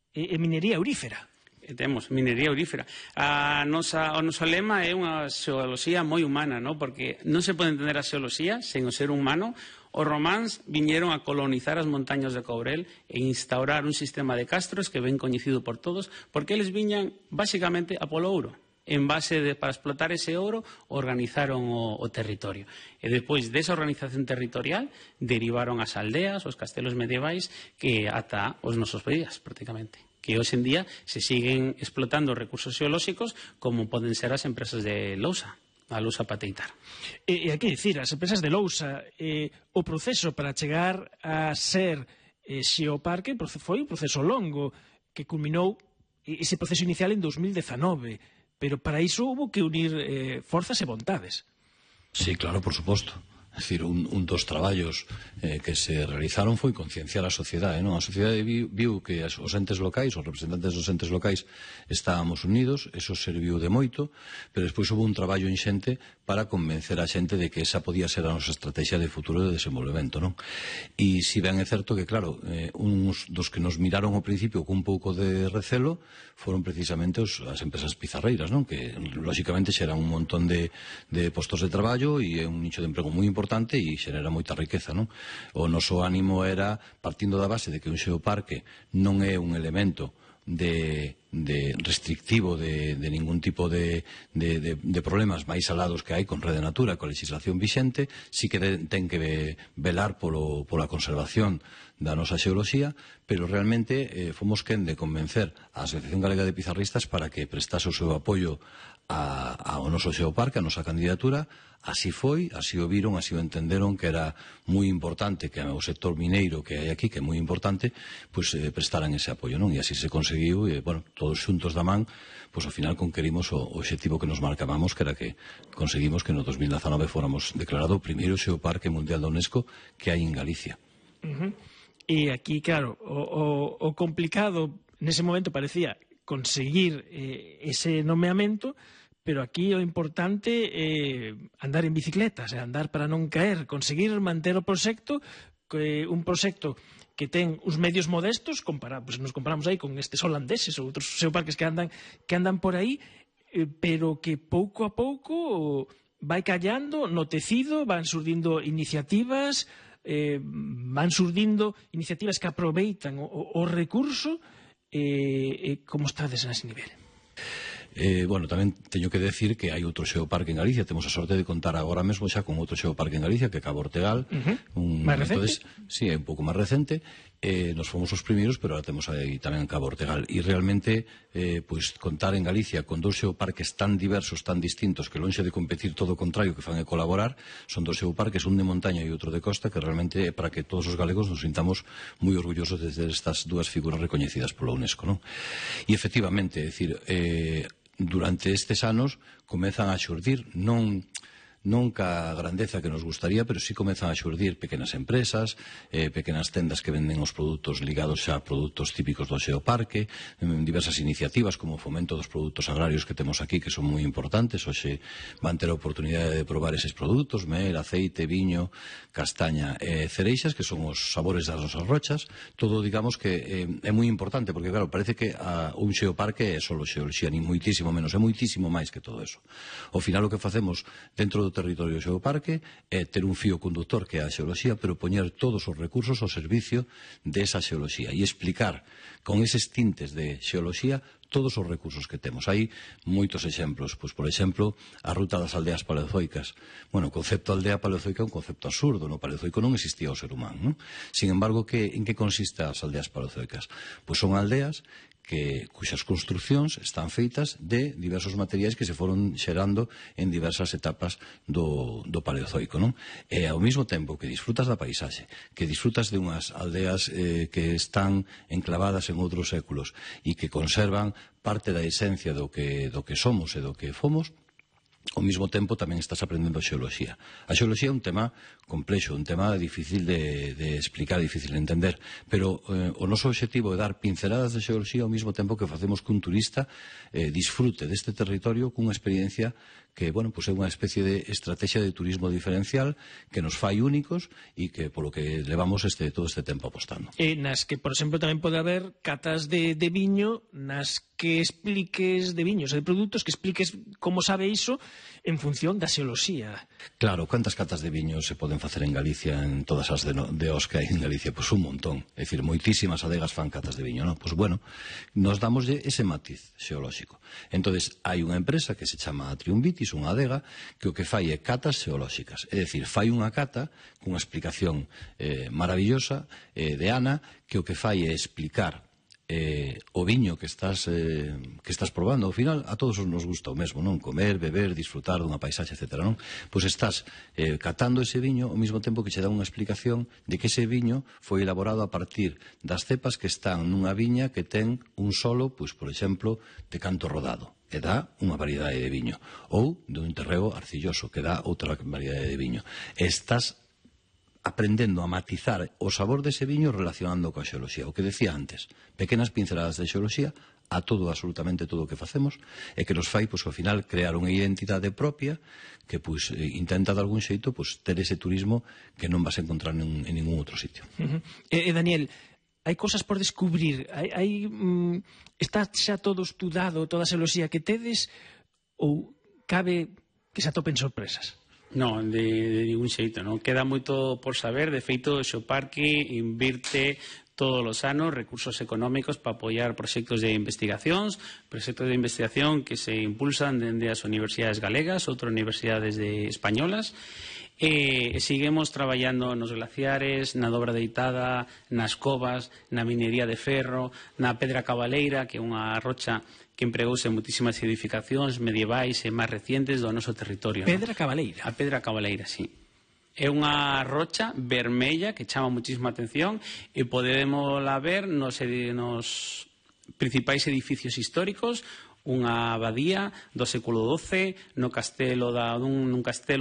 e minería aurífera. Temos minería aurífera. O noso lema é unha xeoloxía moi humana, ¿no? Porque non se pode entender a xeoloxía sen o ser humano. Os románs viñeron a colonizar as montañas de Courel e instaurar un sistema de castros que ben coñecido por todos, porque eles viñan basicamente a polo ouro. En base para explotar ese ouro, organizaron o territorio. E despois desa organización territorial derivaron as aldeas, os castelos medievais, que ata os nosos días, prácticamente. Que hoxe en día se siguen explotando recursos xeolóxicos como poden ser as empresas de lousa, a lousa pateitar. E hai que dicir, as empresas de lousa, o proceso para chegar a ser xeoparque foi un proceso longo que culminou ese proceso inicial en 2019. Pero para iso hubo que unir forzas e vontades. Sí, claro, por suposto. É dicir, un dos traballos que se realizaron foi concienciar a sociedade, non? A sociedade viu que os entes locais, os representantes dos entes locais estábamos unidos, eso serviu de moito, pero despois houve un traballo inxente para convencer a xente de que esa podía ser a nosa estrategia de futuro de desenvolvemento, non? E si ben é certo que, claro, uns dos que nos miraron ao principio cun pouco de recelo foron precisamente as empresas pizarreiras, non? Que, lóxicamente, xeran un montón de postos de traballo e é un nicho de emprego moi importante e xenera moita riqueza, non? O noso ánimo era, partindo da base de que un xeoparque non é un elemento restrictivo de ningún tipo de problemas máis alados que hai con Rede Natura, con legislación vixente, sí que ten que velar pola conservación da nosa xeoloxía, pero realmente fomos quen de convencer a Asociación Galega de Pizarristas para que prestase o seu apoio ao noso xeoparque, a nosa candidatura. Así foi, así o viron, así o entenderon que era moi importante que o sector mineiro que hai aquí, que é moi importante, pois prestaran ese apoio, non? E así se conseguiu, e, bueno, todos xuntos da man, pois ao final conquerimos o obxectivo que nos marcábamos, que era que conseguimos que no 2019 fóramos declarado o primeiro xeoparque mundial da UNESCO que hai en Galicia. E aquí, claro, o complicado nese momento parecía conseguir ese nomeamento, pero aquí o importante é andar en bicicletas, andar para non caer, conseguir manter o proxecto, un proxecto que ten uns medios modestos, nos comparamos aí con estes holandeses ou outros xeoparques que andan por aí, pero que pouco a pouco vai callando no tecido, van surdindo iniciativas, van surdindo iniciativas que aproveitan o recurso. Como estades nese nivel? Bueno, tamén teño que decir que hai outro xeoparque en Galicia. Temos a sorte de contar agora mesmo xa con outro xeoparque en Galicia, que é Cabo Ortegal. Máis recente? Entonces, sí, é un pouco máis recente. Nos fomos os primeiros, pero ahora temos aí tamén Cabo Ortegal. E realmente, pois, contar en Galicia con dous xeoparques tan diversos, tan distintos, que lonxe de competir, todo o contrario, que fan é colaborar, son dos xeoparques, un de montaña e outro de costa, que realmente é para que todos os galegos nos sintamos moi orgullosos de ter estas dúas figuras recoñecidas pola UNESCO, non? E efectivamente, é dicir, durante estes anos comezan a xurdir non ca grandeza que nos gustaría, pero sí comezan a xurdir pequenas empresas, pequenas tendas que venden os produtos ligados xa a produtos típicos do xeoparque, diversas iniciativas como o fomento dos produtos agrarios que temos aquí, que son moi importantes. Hoxe van ter a oportunidade de probar eses produtos: mel, aceite, viño, castaña e cereixas, que son os sabores das nosas rochas. Todo, digamos, que é moi importante, porque claro, parece que un xeoparque é só xeoloxía, nin moitísimo menos, é moitísimo máis que todo eso. Ao final o que facemos dentro do territorio do xeoparque é ter un fío conductor que é a xeoloxía, pero poñer todos os recursos ao servicio desa xeoloxía e explicar con eses tintes de xeoloxía todos os recursos que temos. Hai moitos exemplos, pois, por exemplo, a ruta das aldeas paleozoicas. Bueno, o concepto aldea paleozoica é un concepto absurdo. No Paleozoico non existía o ser humano, non? Sin embargo, en que consiste as aldeas paleozoicas? Pois son aldeas cuxas construcións están feitas de diversos materiais que se foron xerando en diversas etapas do Paleozoico, non? E ao mesmo tempo que disfrutas da paisaxe, que disfrutas de unhas aldeas que están enclavadas en outros séculos e que conservan parte da esencia do que somos e do que fomos, ao mesmo tempo tamén estás aprendendo xeoloxía. A xeoloxía é un tema complexo, un tema difícil de explicar, difícil de entender, pero o noso obxectivo é dar pinceladas de xeoloxía ao mesmo tempo que facemos que un turista disfrute deste territorio cunha experiencia que, bueno, pues é unha especie de estrategia de turismo diferencial que nos fai únicos e que polo que levamos todo este tempo apostando. Nas que, por exemplo, tamén pode haber catas de viño, nas que expliques de viños e de produtos, que expliques como sabe iso en función da xeoloxía. Claro, cantas catas de viño se poden facer en Galicia, en todas as de os que hai en Galicia? Pois un montón. É dicir, moitísimas adegas fan catas de viño, non? Pois bueno, nos damoslle ese matiz xeolóxico. Entonces, hai unha empresa que se chama Triumvitis, unha adega, que o que fai é catas xeolóxicas. É dicir, fai unha cata cunha explicación maravillosa de Ana, que o que fai é explicar o viño que estás probando. Ao final, a todos nos gusta o mesmo, non? Comer, beber, disfrutar dunha paisaxe, etc., non? Pois estás catando ese viño ao mesmo tempo que che dá unha explicación de que ese viño foi elaborado a partir das cepas que están nunha viña que ten un solo, pois, por exemplo, de canto rodado, e dá unha variedade de viño, ou de un terreo arcilloso, que dá outra variedade de viño. Estás aprendendo a matizar o sabor dese viño relacionando coa xeoloxía. O que decía antes, pequenas pinceladas de xeoloxía a todo, absolutamente todo o que facemos, e que nos fai, pois, ao final, crear unha identidade propia que, pois, intenta de algún xeito, pois, ter ese turismo que non vas a encontrar en ningún outro sitio. Daniel, hai cosas por descubrir? Está xa todo estudado, toda a xeoloxía que tedes, ou cabe que se atopen sorpresas? Non, de ningún xeito, non. Queda moito por saber. De feito, o Xeoparque invirte todos os anos recursos económicos para apoiar proxectos de investigación que se impulsan dende as universidades galegas, outras universidades españolas, e seguimos traballando nos glaciares, na dobra deitada, nas covas, na minería de ferro, na pedra cabaleira, que é unha rocha que empregouse en moitísimas edificacións medievais e máis recientes do noso territorio. Pedra cabaleira? A pedra cabaleira, sí. É unha rocha vermella que chama moitísima atención e podemos ver nos principais edificios históricos, unha abadía do século XII, nun castelo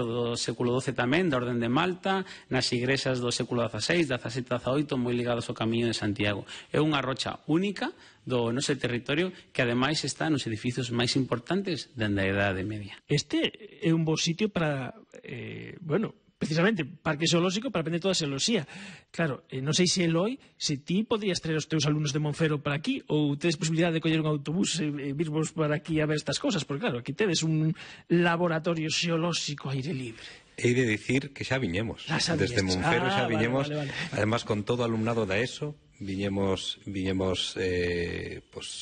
do século XII tamén, da Orden de Malta, nas igrexas do século XVI, XVII, XVIII, moi ligados ao Camiño de Santiago. É unha rocha única do noso territorio que ademais está nos edificios máis importantes dende a Idade Media. Este é un bo sitio para, precisamente parque zoolóxico para aprender toda a xeoloxía. Claro, non sei se Eloi, se ti podrías traer os teus alumnos de Monfero para aquí ou tedes posibilidade de coller un autobús e virvos para aquí a ver estas cosas, porque claro, aquí tedes un laboratorio xeolóxico a aire libre. Hei de dicir que xa viñemos. Desde Monfero xa viñemos, vale. Además con todo o alumnado da ESO, viñemos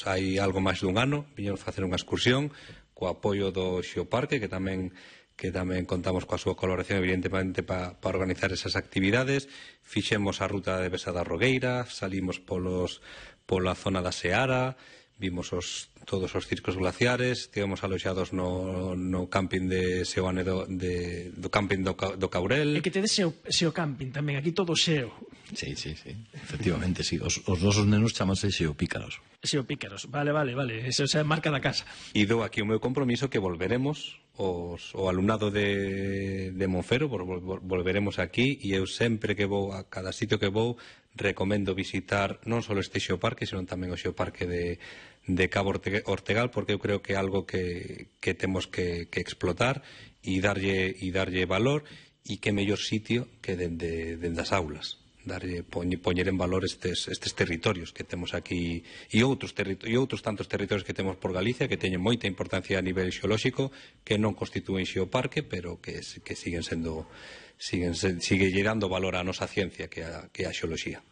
hai algo máis dun ano, viñemos facer unha excursión co apoio do Xeoparque, que tamén contamos coa súa colaboración evidentemente para organizar esas actividades. Fixemos a ruta de Besa da Rogueira, salimos pola zona da Seara, vimos todos os circos glaciares, estivemos aloxados no camping de Seoane do camping do Caurel. E que tedes xeo camping tamén, aquí todo xeo. Sí, efectivamente, sí. Os nosos nenos chamanse xeopícaros. Xeopícaros, vale, esa é a marca da casa. E dou aquí o meu compromiso que volveremos o alumnado de Monfero, volveremos aquí, e eu sempre que vou a cada sitio que vou recomendo visitar non só este xeoparque, senón tamén o xeoparque de Cabo Ortegal, porque eu creo que é algo que temos que explotar e darlle valor, e que mellor sitio que dende as aulas. Poñer en valor estes territorios que temos aquí e outros tantos territorios que temos por Galicia que teñen moita importancia a nivel xeolóxico, que non constitúen xeoparque, pero que sigue dando valor á nosa ciencia, que é a xeoloxía.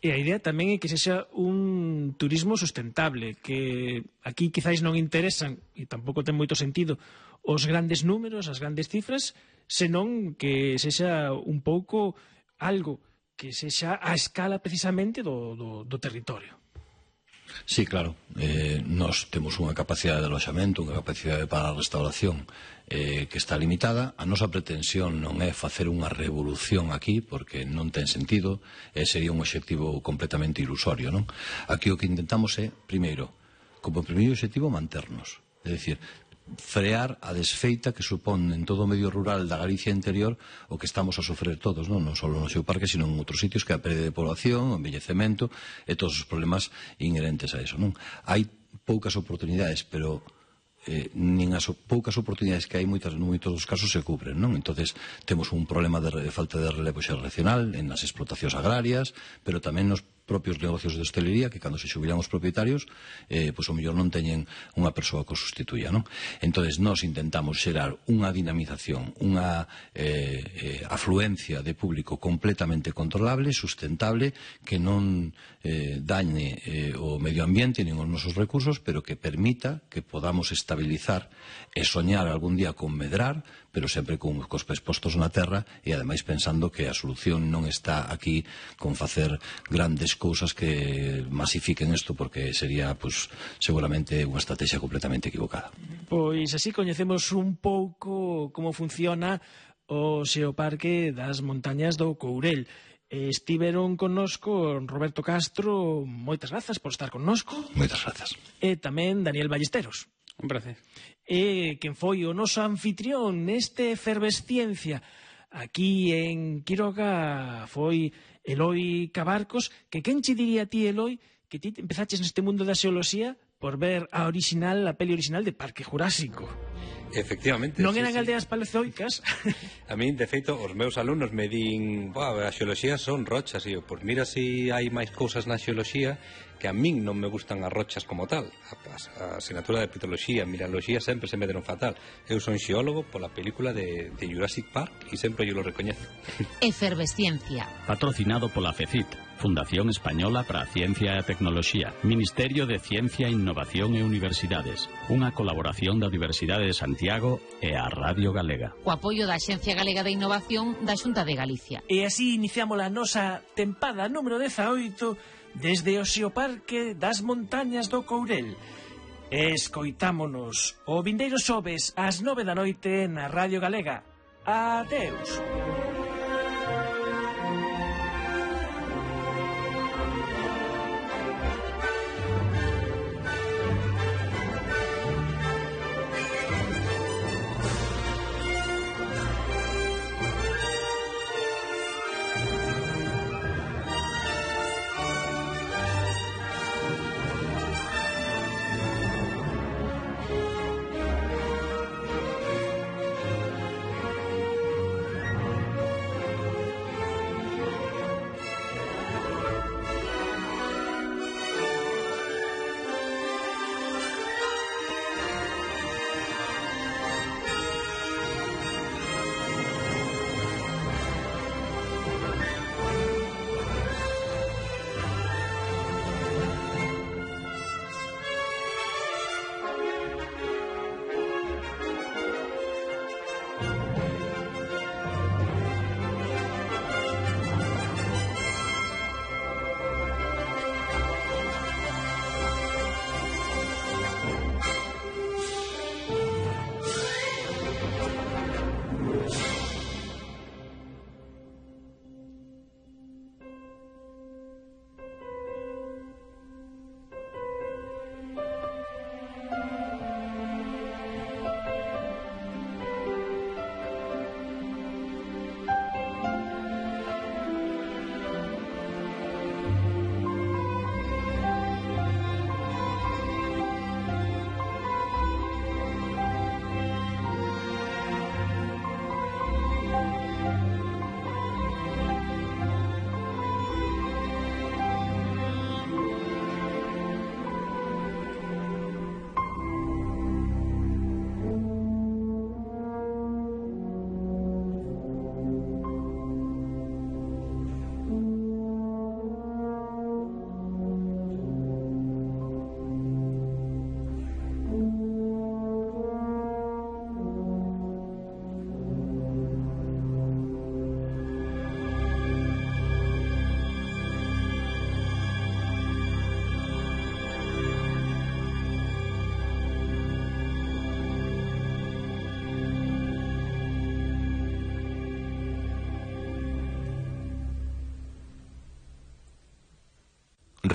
E a idea tamén é que sexa un turismo sustentable, que aquí quizáis non interesan, e tampouco ten moito sentido, os grandes números, as grandes cifras, senón que sexa un pouco algo que sexa a escala precisamente do territorio. Sí, claro. Nós temos unha capacidade de aloxamento, unha capacidade para a restauración que está limitada. A nosa pretensión non é facer unha revolución aquí, porque non ten sentido, sería un obxectivo completamente ilusorio, non? Aquí o que intentamos é, primeiro, como primeiro obxectivo, manternos. É dicir, frear a desfeita que supón en todo o medio rural da Galicia interior o que estamos a sofrer todos, non só no xeoparque, sino en outros sitios, que é a pérdida de población, o envellecemento e todos os problemas inherentes a eso, non? Hai poucas oportunidades, pero nin as poucas oportunidades que hai moitos dos casos se cubren, non? Entonces temos un problema de falta de relevo xeracional en as explotacións agrarias, pero tamén nos propios negocios de hostelería, que cando se xubilan os propietarios, pois o mellor non teñen unha persoa que os sustituya, non? Entonces nós intentamos xerar unha dinamización, unha afluencia de público completamente controlable, sustentable, que non dañe o medio ambiente nin os nosos recursos, pero que permita que podamos estabilizar e soñar algún día con medrar, pero sempre cos pés postos na terra, e ademais pensando que a solución non está aquí con facer grandes cousas que masifiquen isto, porque sería, pois, seguramente unha estrategia completamente equivocada. Pois así coñecemos un pouco como funciona o xeoparque das montañas do Courel. Estiveron connosco Roberto Castro, moitas grazas por estar connosco. Moitas grazas. E tamén Daniel Ballesteros. Un prazer. E quen foi o noso anfitrión neste Efervesciencia aquí en Quiroga foi Eloi Cabarcos, que quen che diría a ti, Eloi, que ti empezaches neste mundo da xeoloxía por ver a peli original de Parque Jurásico? Efectivamente. Non eran aldeas paleozoicas? A min, de feito, os meus alumnos me din, a xeoloxía son rochas, e eu, pois mira se hai máis cousas na xeoloxía, que a min non me gustan as rochas como tal. A asignatura de petroloxía, mineraloxía sempre se me deron fatal. Eu son xeólogo pola película de Jurassic Park e sempre yo lo recoñezo. Efervesciencia. Patrocinado pola FECIT, Fundación Española para a Ciencia e a Tecnoloxía, Ministerio de Ciencia, Innovación e Universidades, unha colaboración da Universidade de Santiago e a Radio Galega. O apoio da Axencia Galega de Innovación da Xunta de Galicia. E así iniciamos a nosa tempada número 18 desde o xeoparque das montañas do Courel. Escoitámonos o vindeiro xoves ás 9 da noite na Radio Galega. Adeus.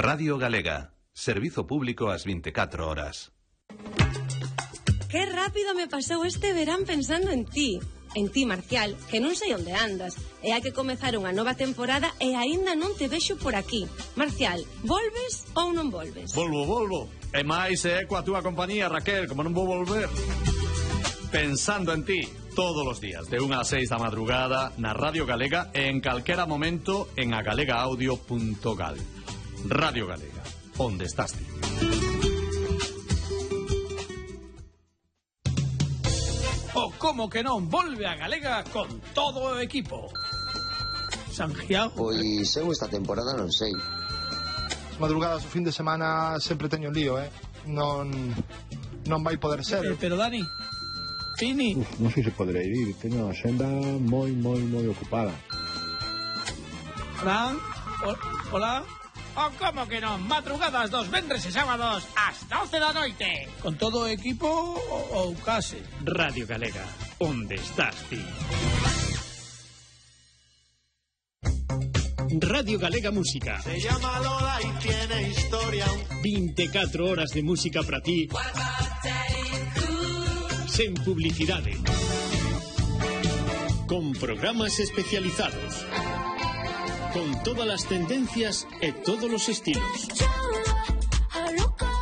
Radio Galega, servizo público ás 24 horas. Que rápido me pasou este verán pensando en ti, Marcial, que non sei onde andas. E hai que comezar unha nova temporada e aínda non te vexo por aquí. Marcial, volves ou non volves? Volvo. E máis é coa túa compañía, Raquel, como non vou volver. Pensando en ti, todos os días, de 1 a 6 da madrugada, na Radio Galega e en calquera momento en agalegaudio.gal. Radio Galega, onde estás ti. O como que non volve a Galega con todo o equipo. Santiago. Pois eu esta temporada non sei. As madrugadas o fin de semana sempre teño lío, Non vai poder ser. Pero Dani, Fini. Non sei se poderei ir, teño a xenda moi ocupada. Fran, hola. O como que non, madrugadas dos vendres e sábados ás 12 da noite. Con todo o equipo ou case. Radio Galega, onde estás ti? Radio Galega Música. Se llama Lola y tiene historia. 24 horas de música para ti. Sen publicidade. Con programas especializados. Con todas as tendencias e todos os estilos.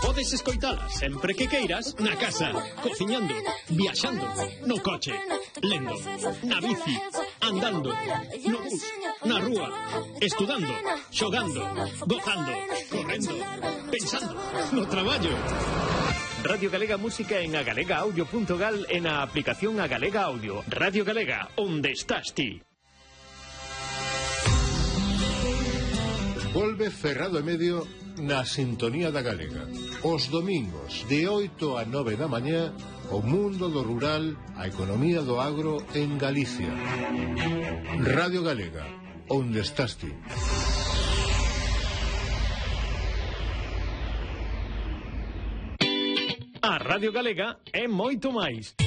Podes escoitalas sempre que queiras na casa, cociñando, viaxando, no coche, lendo, na bici, andando, no bus, na rúa, estudando, xogando, gozando, correndo, pensando, no traballo. Radio Galega Música en agalegaudio.gal e na aplicación Agalega Audio. Radio Galega, onde estás ti? Volve Ferrado e Medio na sintonía da Galega. Os domingos, de 8 a 9 da mañá, o mundo do rural, a economía do agro en Galicia. Radio Galega, onde estás ti? A Radio Galega é moito máis.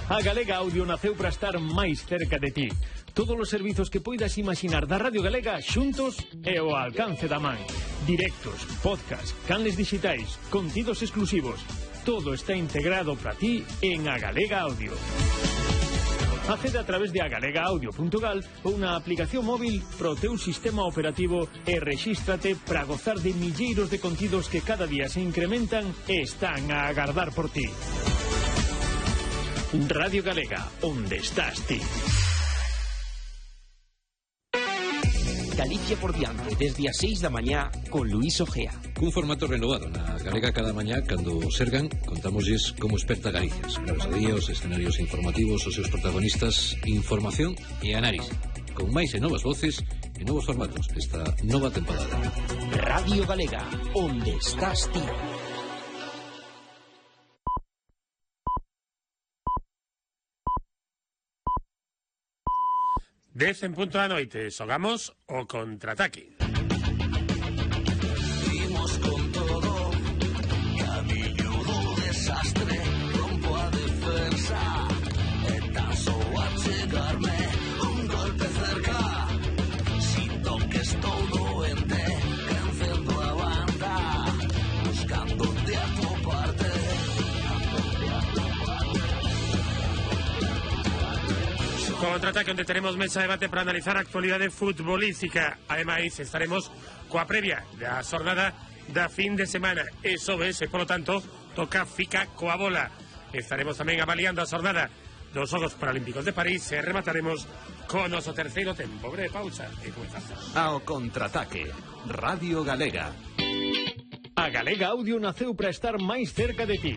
A Galega Audio naceu para estar máis cerca de ti. Todos os servizos que poidas imaginar da Radio Galega xuntos e ao alcance da man. Directos, podcast, canles digitais, contidos exclusivos. Todo está integrado para ti en A Galega Audio. Accede a través de agalegaudio.gal ou na aplicación móvil pro teu sistema operativo e rexístrate para gozar de milleiros de contidos que cada día se incrementan e están a agardar por ti. Radio Galega, onde estás ti? Galicia por diante, desde as 6 da mañá con Luís Ojea. Cun formato renovado na Galega cada mañá, cando sergan, contámoslles como esperta Galicia. Cada día, os escenarios informativos, os seus protagonistas, información e análise. Con máis e novas voces e novos formatos esta nova temporada. Radio Galega, onde estás ti? Dez en punto da noite, xogamos o contraataque. Imos con todo, camiño do desastre, rompo a defensa, e tan só buscarme un golpe cerca. Siento que estoy doente, creciendo a banda, buscándote a tu parte. Contraataque, onde teremos mesa de debate para analizar a actualidade futbolística. Ademais, estaremos coa previa da xornada da fin de semana. E sobes, e polo tanto, toca fica coa bola. Estaremos tamén avaliando a xornada dos Xogos Paralímpicos de París e remataremos con o noso terceiro tempo. Breve pausa e comenzamos. Ao Contraataque, Radio Galega. A Galega Audio naceu para estar máis cerca de ti.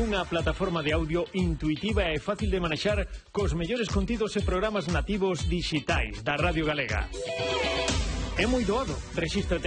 Unha plataforma de audio intuitiva e fácil de manexar cos mellores contidos e programas nativos dixitais da Radio Galega. É moi doado, rexístrate